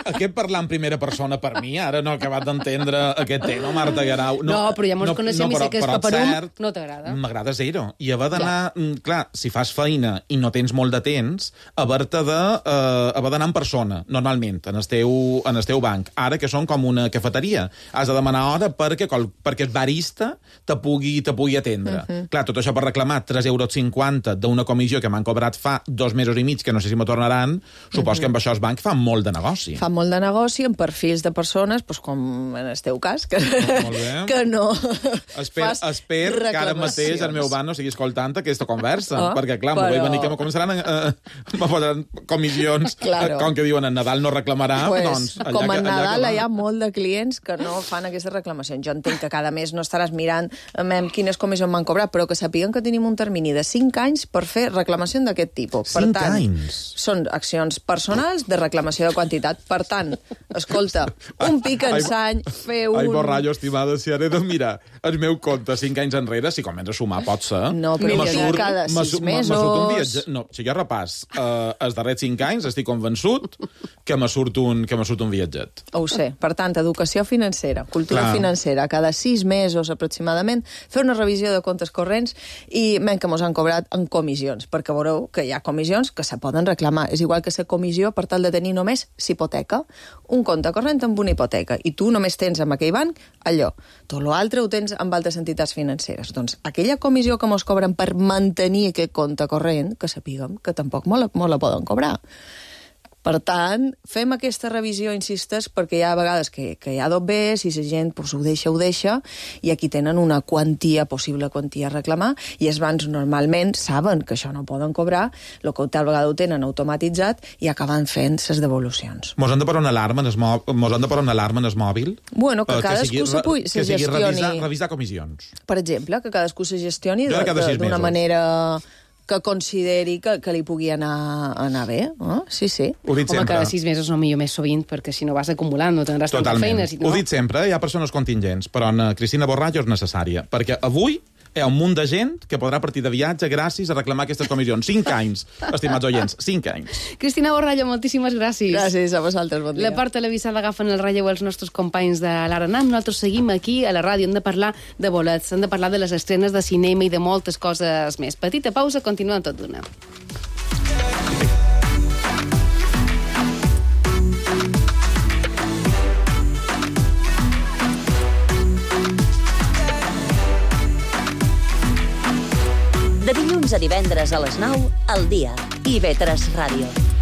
aquest parlar en primera persona per mi, ara no he acabat d'entendre aquest tema, Marta Guerau. No, no però ja mos no, coneixem no, però, i sé que és paperum, no t'agrada. M'agrada zero. I haver d'anar... Ja. Clar, si fas feina i no tens molt de temps, haver-te de... Uh, haver d'anar en persona, normalment, en el teu, en el teu banc. Ara que són com una cafeteria. Has de demanar hora perquè, perquè el barista te pugui, te pugui atendre. Uh -huh. Clar, tot això per reclamar tres euros cinquanta d'una comissió que m'han cobrat fa dos mesos i mig, que no sé si me tornaran, supos uh -huh. que amb això els bancs fan molt de negoci. Fan molt de negoci en perfils de persones, doncs com en el teu cas, que, que no Esper, fas esper que ara mateix el meu banc no sigui escoltant aquesta conversa, oh, perquè clar, però... m'ho vaig venir que me començaran a, a, a posar comissions, claro. Com que diuen en Nadal no reclamarà, pues, doncs... Allà com en que, Nadal allà hi ha molt de clients que no fan aquestes reclamacions. Jo entenc que cada mes no estaràs mirant amb quines comissions m'han cobrat, però que sapiguen que tenim un termini de cinc anys per fer reclamació d'aquest tipus. Per cinc tant, anys? Són accions personals de reclamació de quantitat. Per tant, escolta, un pic en sany, fer un... Ai, borrallo, estimada, si ara he de mirar el meu compte cinc anys enrere, si comença a sumar, pot ser. No, però no, surt, cada sis mesos... Un viatge... No, si jo repàs eh, els darrers cinc anys, estic convençut que me surt un, que me surt un viatget. Ho sé. Per tant, educació financera, cultura Clar. financera, cada sis mesos aproximadament, fer una revisió de comptes corrents i menys que mos han cobrat en comissions, perquè veureu que hi ha comissions que se poden reclamar. És igual que la comissió per tal de tenir només hipoteca, un compte corrent amb una hipoteca, i tu només tens amb aquell banc allò. Tot l'altre ho tens amb altres entitats financeres. Doncs aquella comissió que mos cobren per mantenir aquest compte corrent, que sapiguem que tampoc molt la, molt la poden cobrar. Per tant, fem aquesta revisió, insistes, perquè hi ha vegades que, que hi ha dobbers, si la gent pues, ho deixa, ho deixa, i aquí tenen una quantia, possible quantia a reclamar, i els bancs normalment saben que això no poden cobrar, el que tal vegada ho tenen automatitzat i acaben fent les devolucions. Mos han de posar una alarma en el mòbil? Mos han de posar una alarma en el mòbil? Bueno, que, que cadascú se, pugui, se gestioni... Que sigui revisar, revisar comissions. Per exemple, que cadascú se gestioni d'una manera... que consideri que, que li pugui anar, anar bé. Eh? Sí, sí. Ho dic Home, sempre. cada sis mesos no millor més sovint, perquè si no vas acumulant, no tindràs tanta feina. Si no... Ho dic sempre, hi ha persones contingents, però en Cristina Borrallo és necessària, perquè avui hi ha un munt de gent que podrà partir de viatge gràcies a reclamar aquestes comissions. Cinc anys, estimats oients, cinc anys. Cristina Borrallo, moltíssimes gràcies. Gràcies a vosaltres, bon dia. La part televisada agafen el relleu els nostres companys de l'Aranam. Nosaltres seguim aquí a la ràdio. Hem de parlar de bolets, hem de parlar de les estrenes de cinema i de moltes coses més. Petita pausa, continuem tot d'una. De dilluns a divendres a les nou, al dia. I ve tres Ràdio.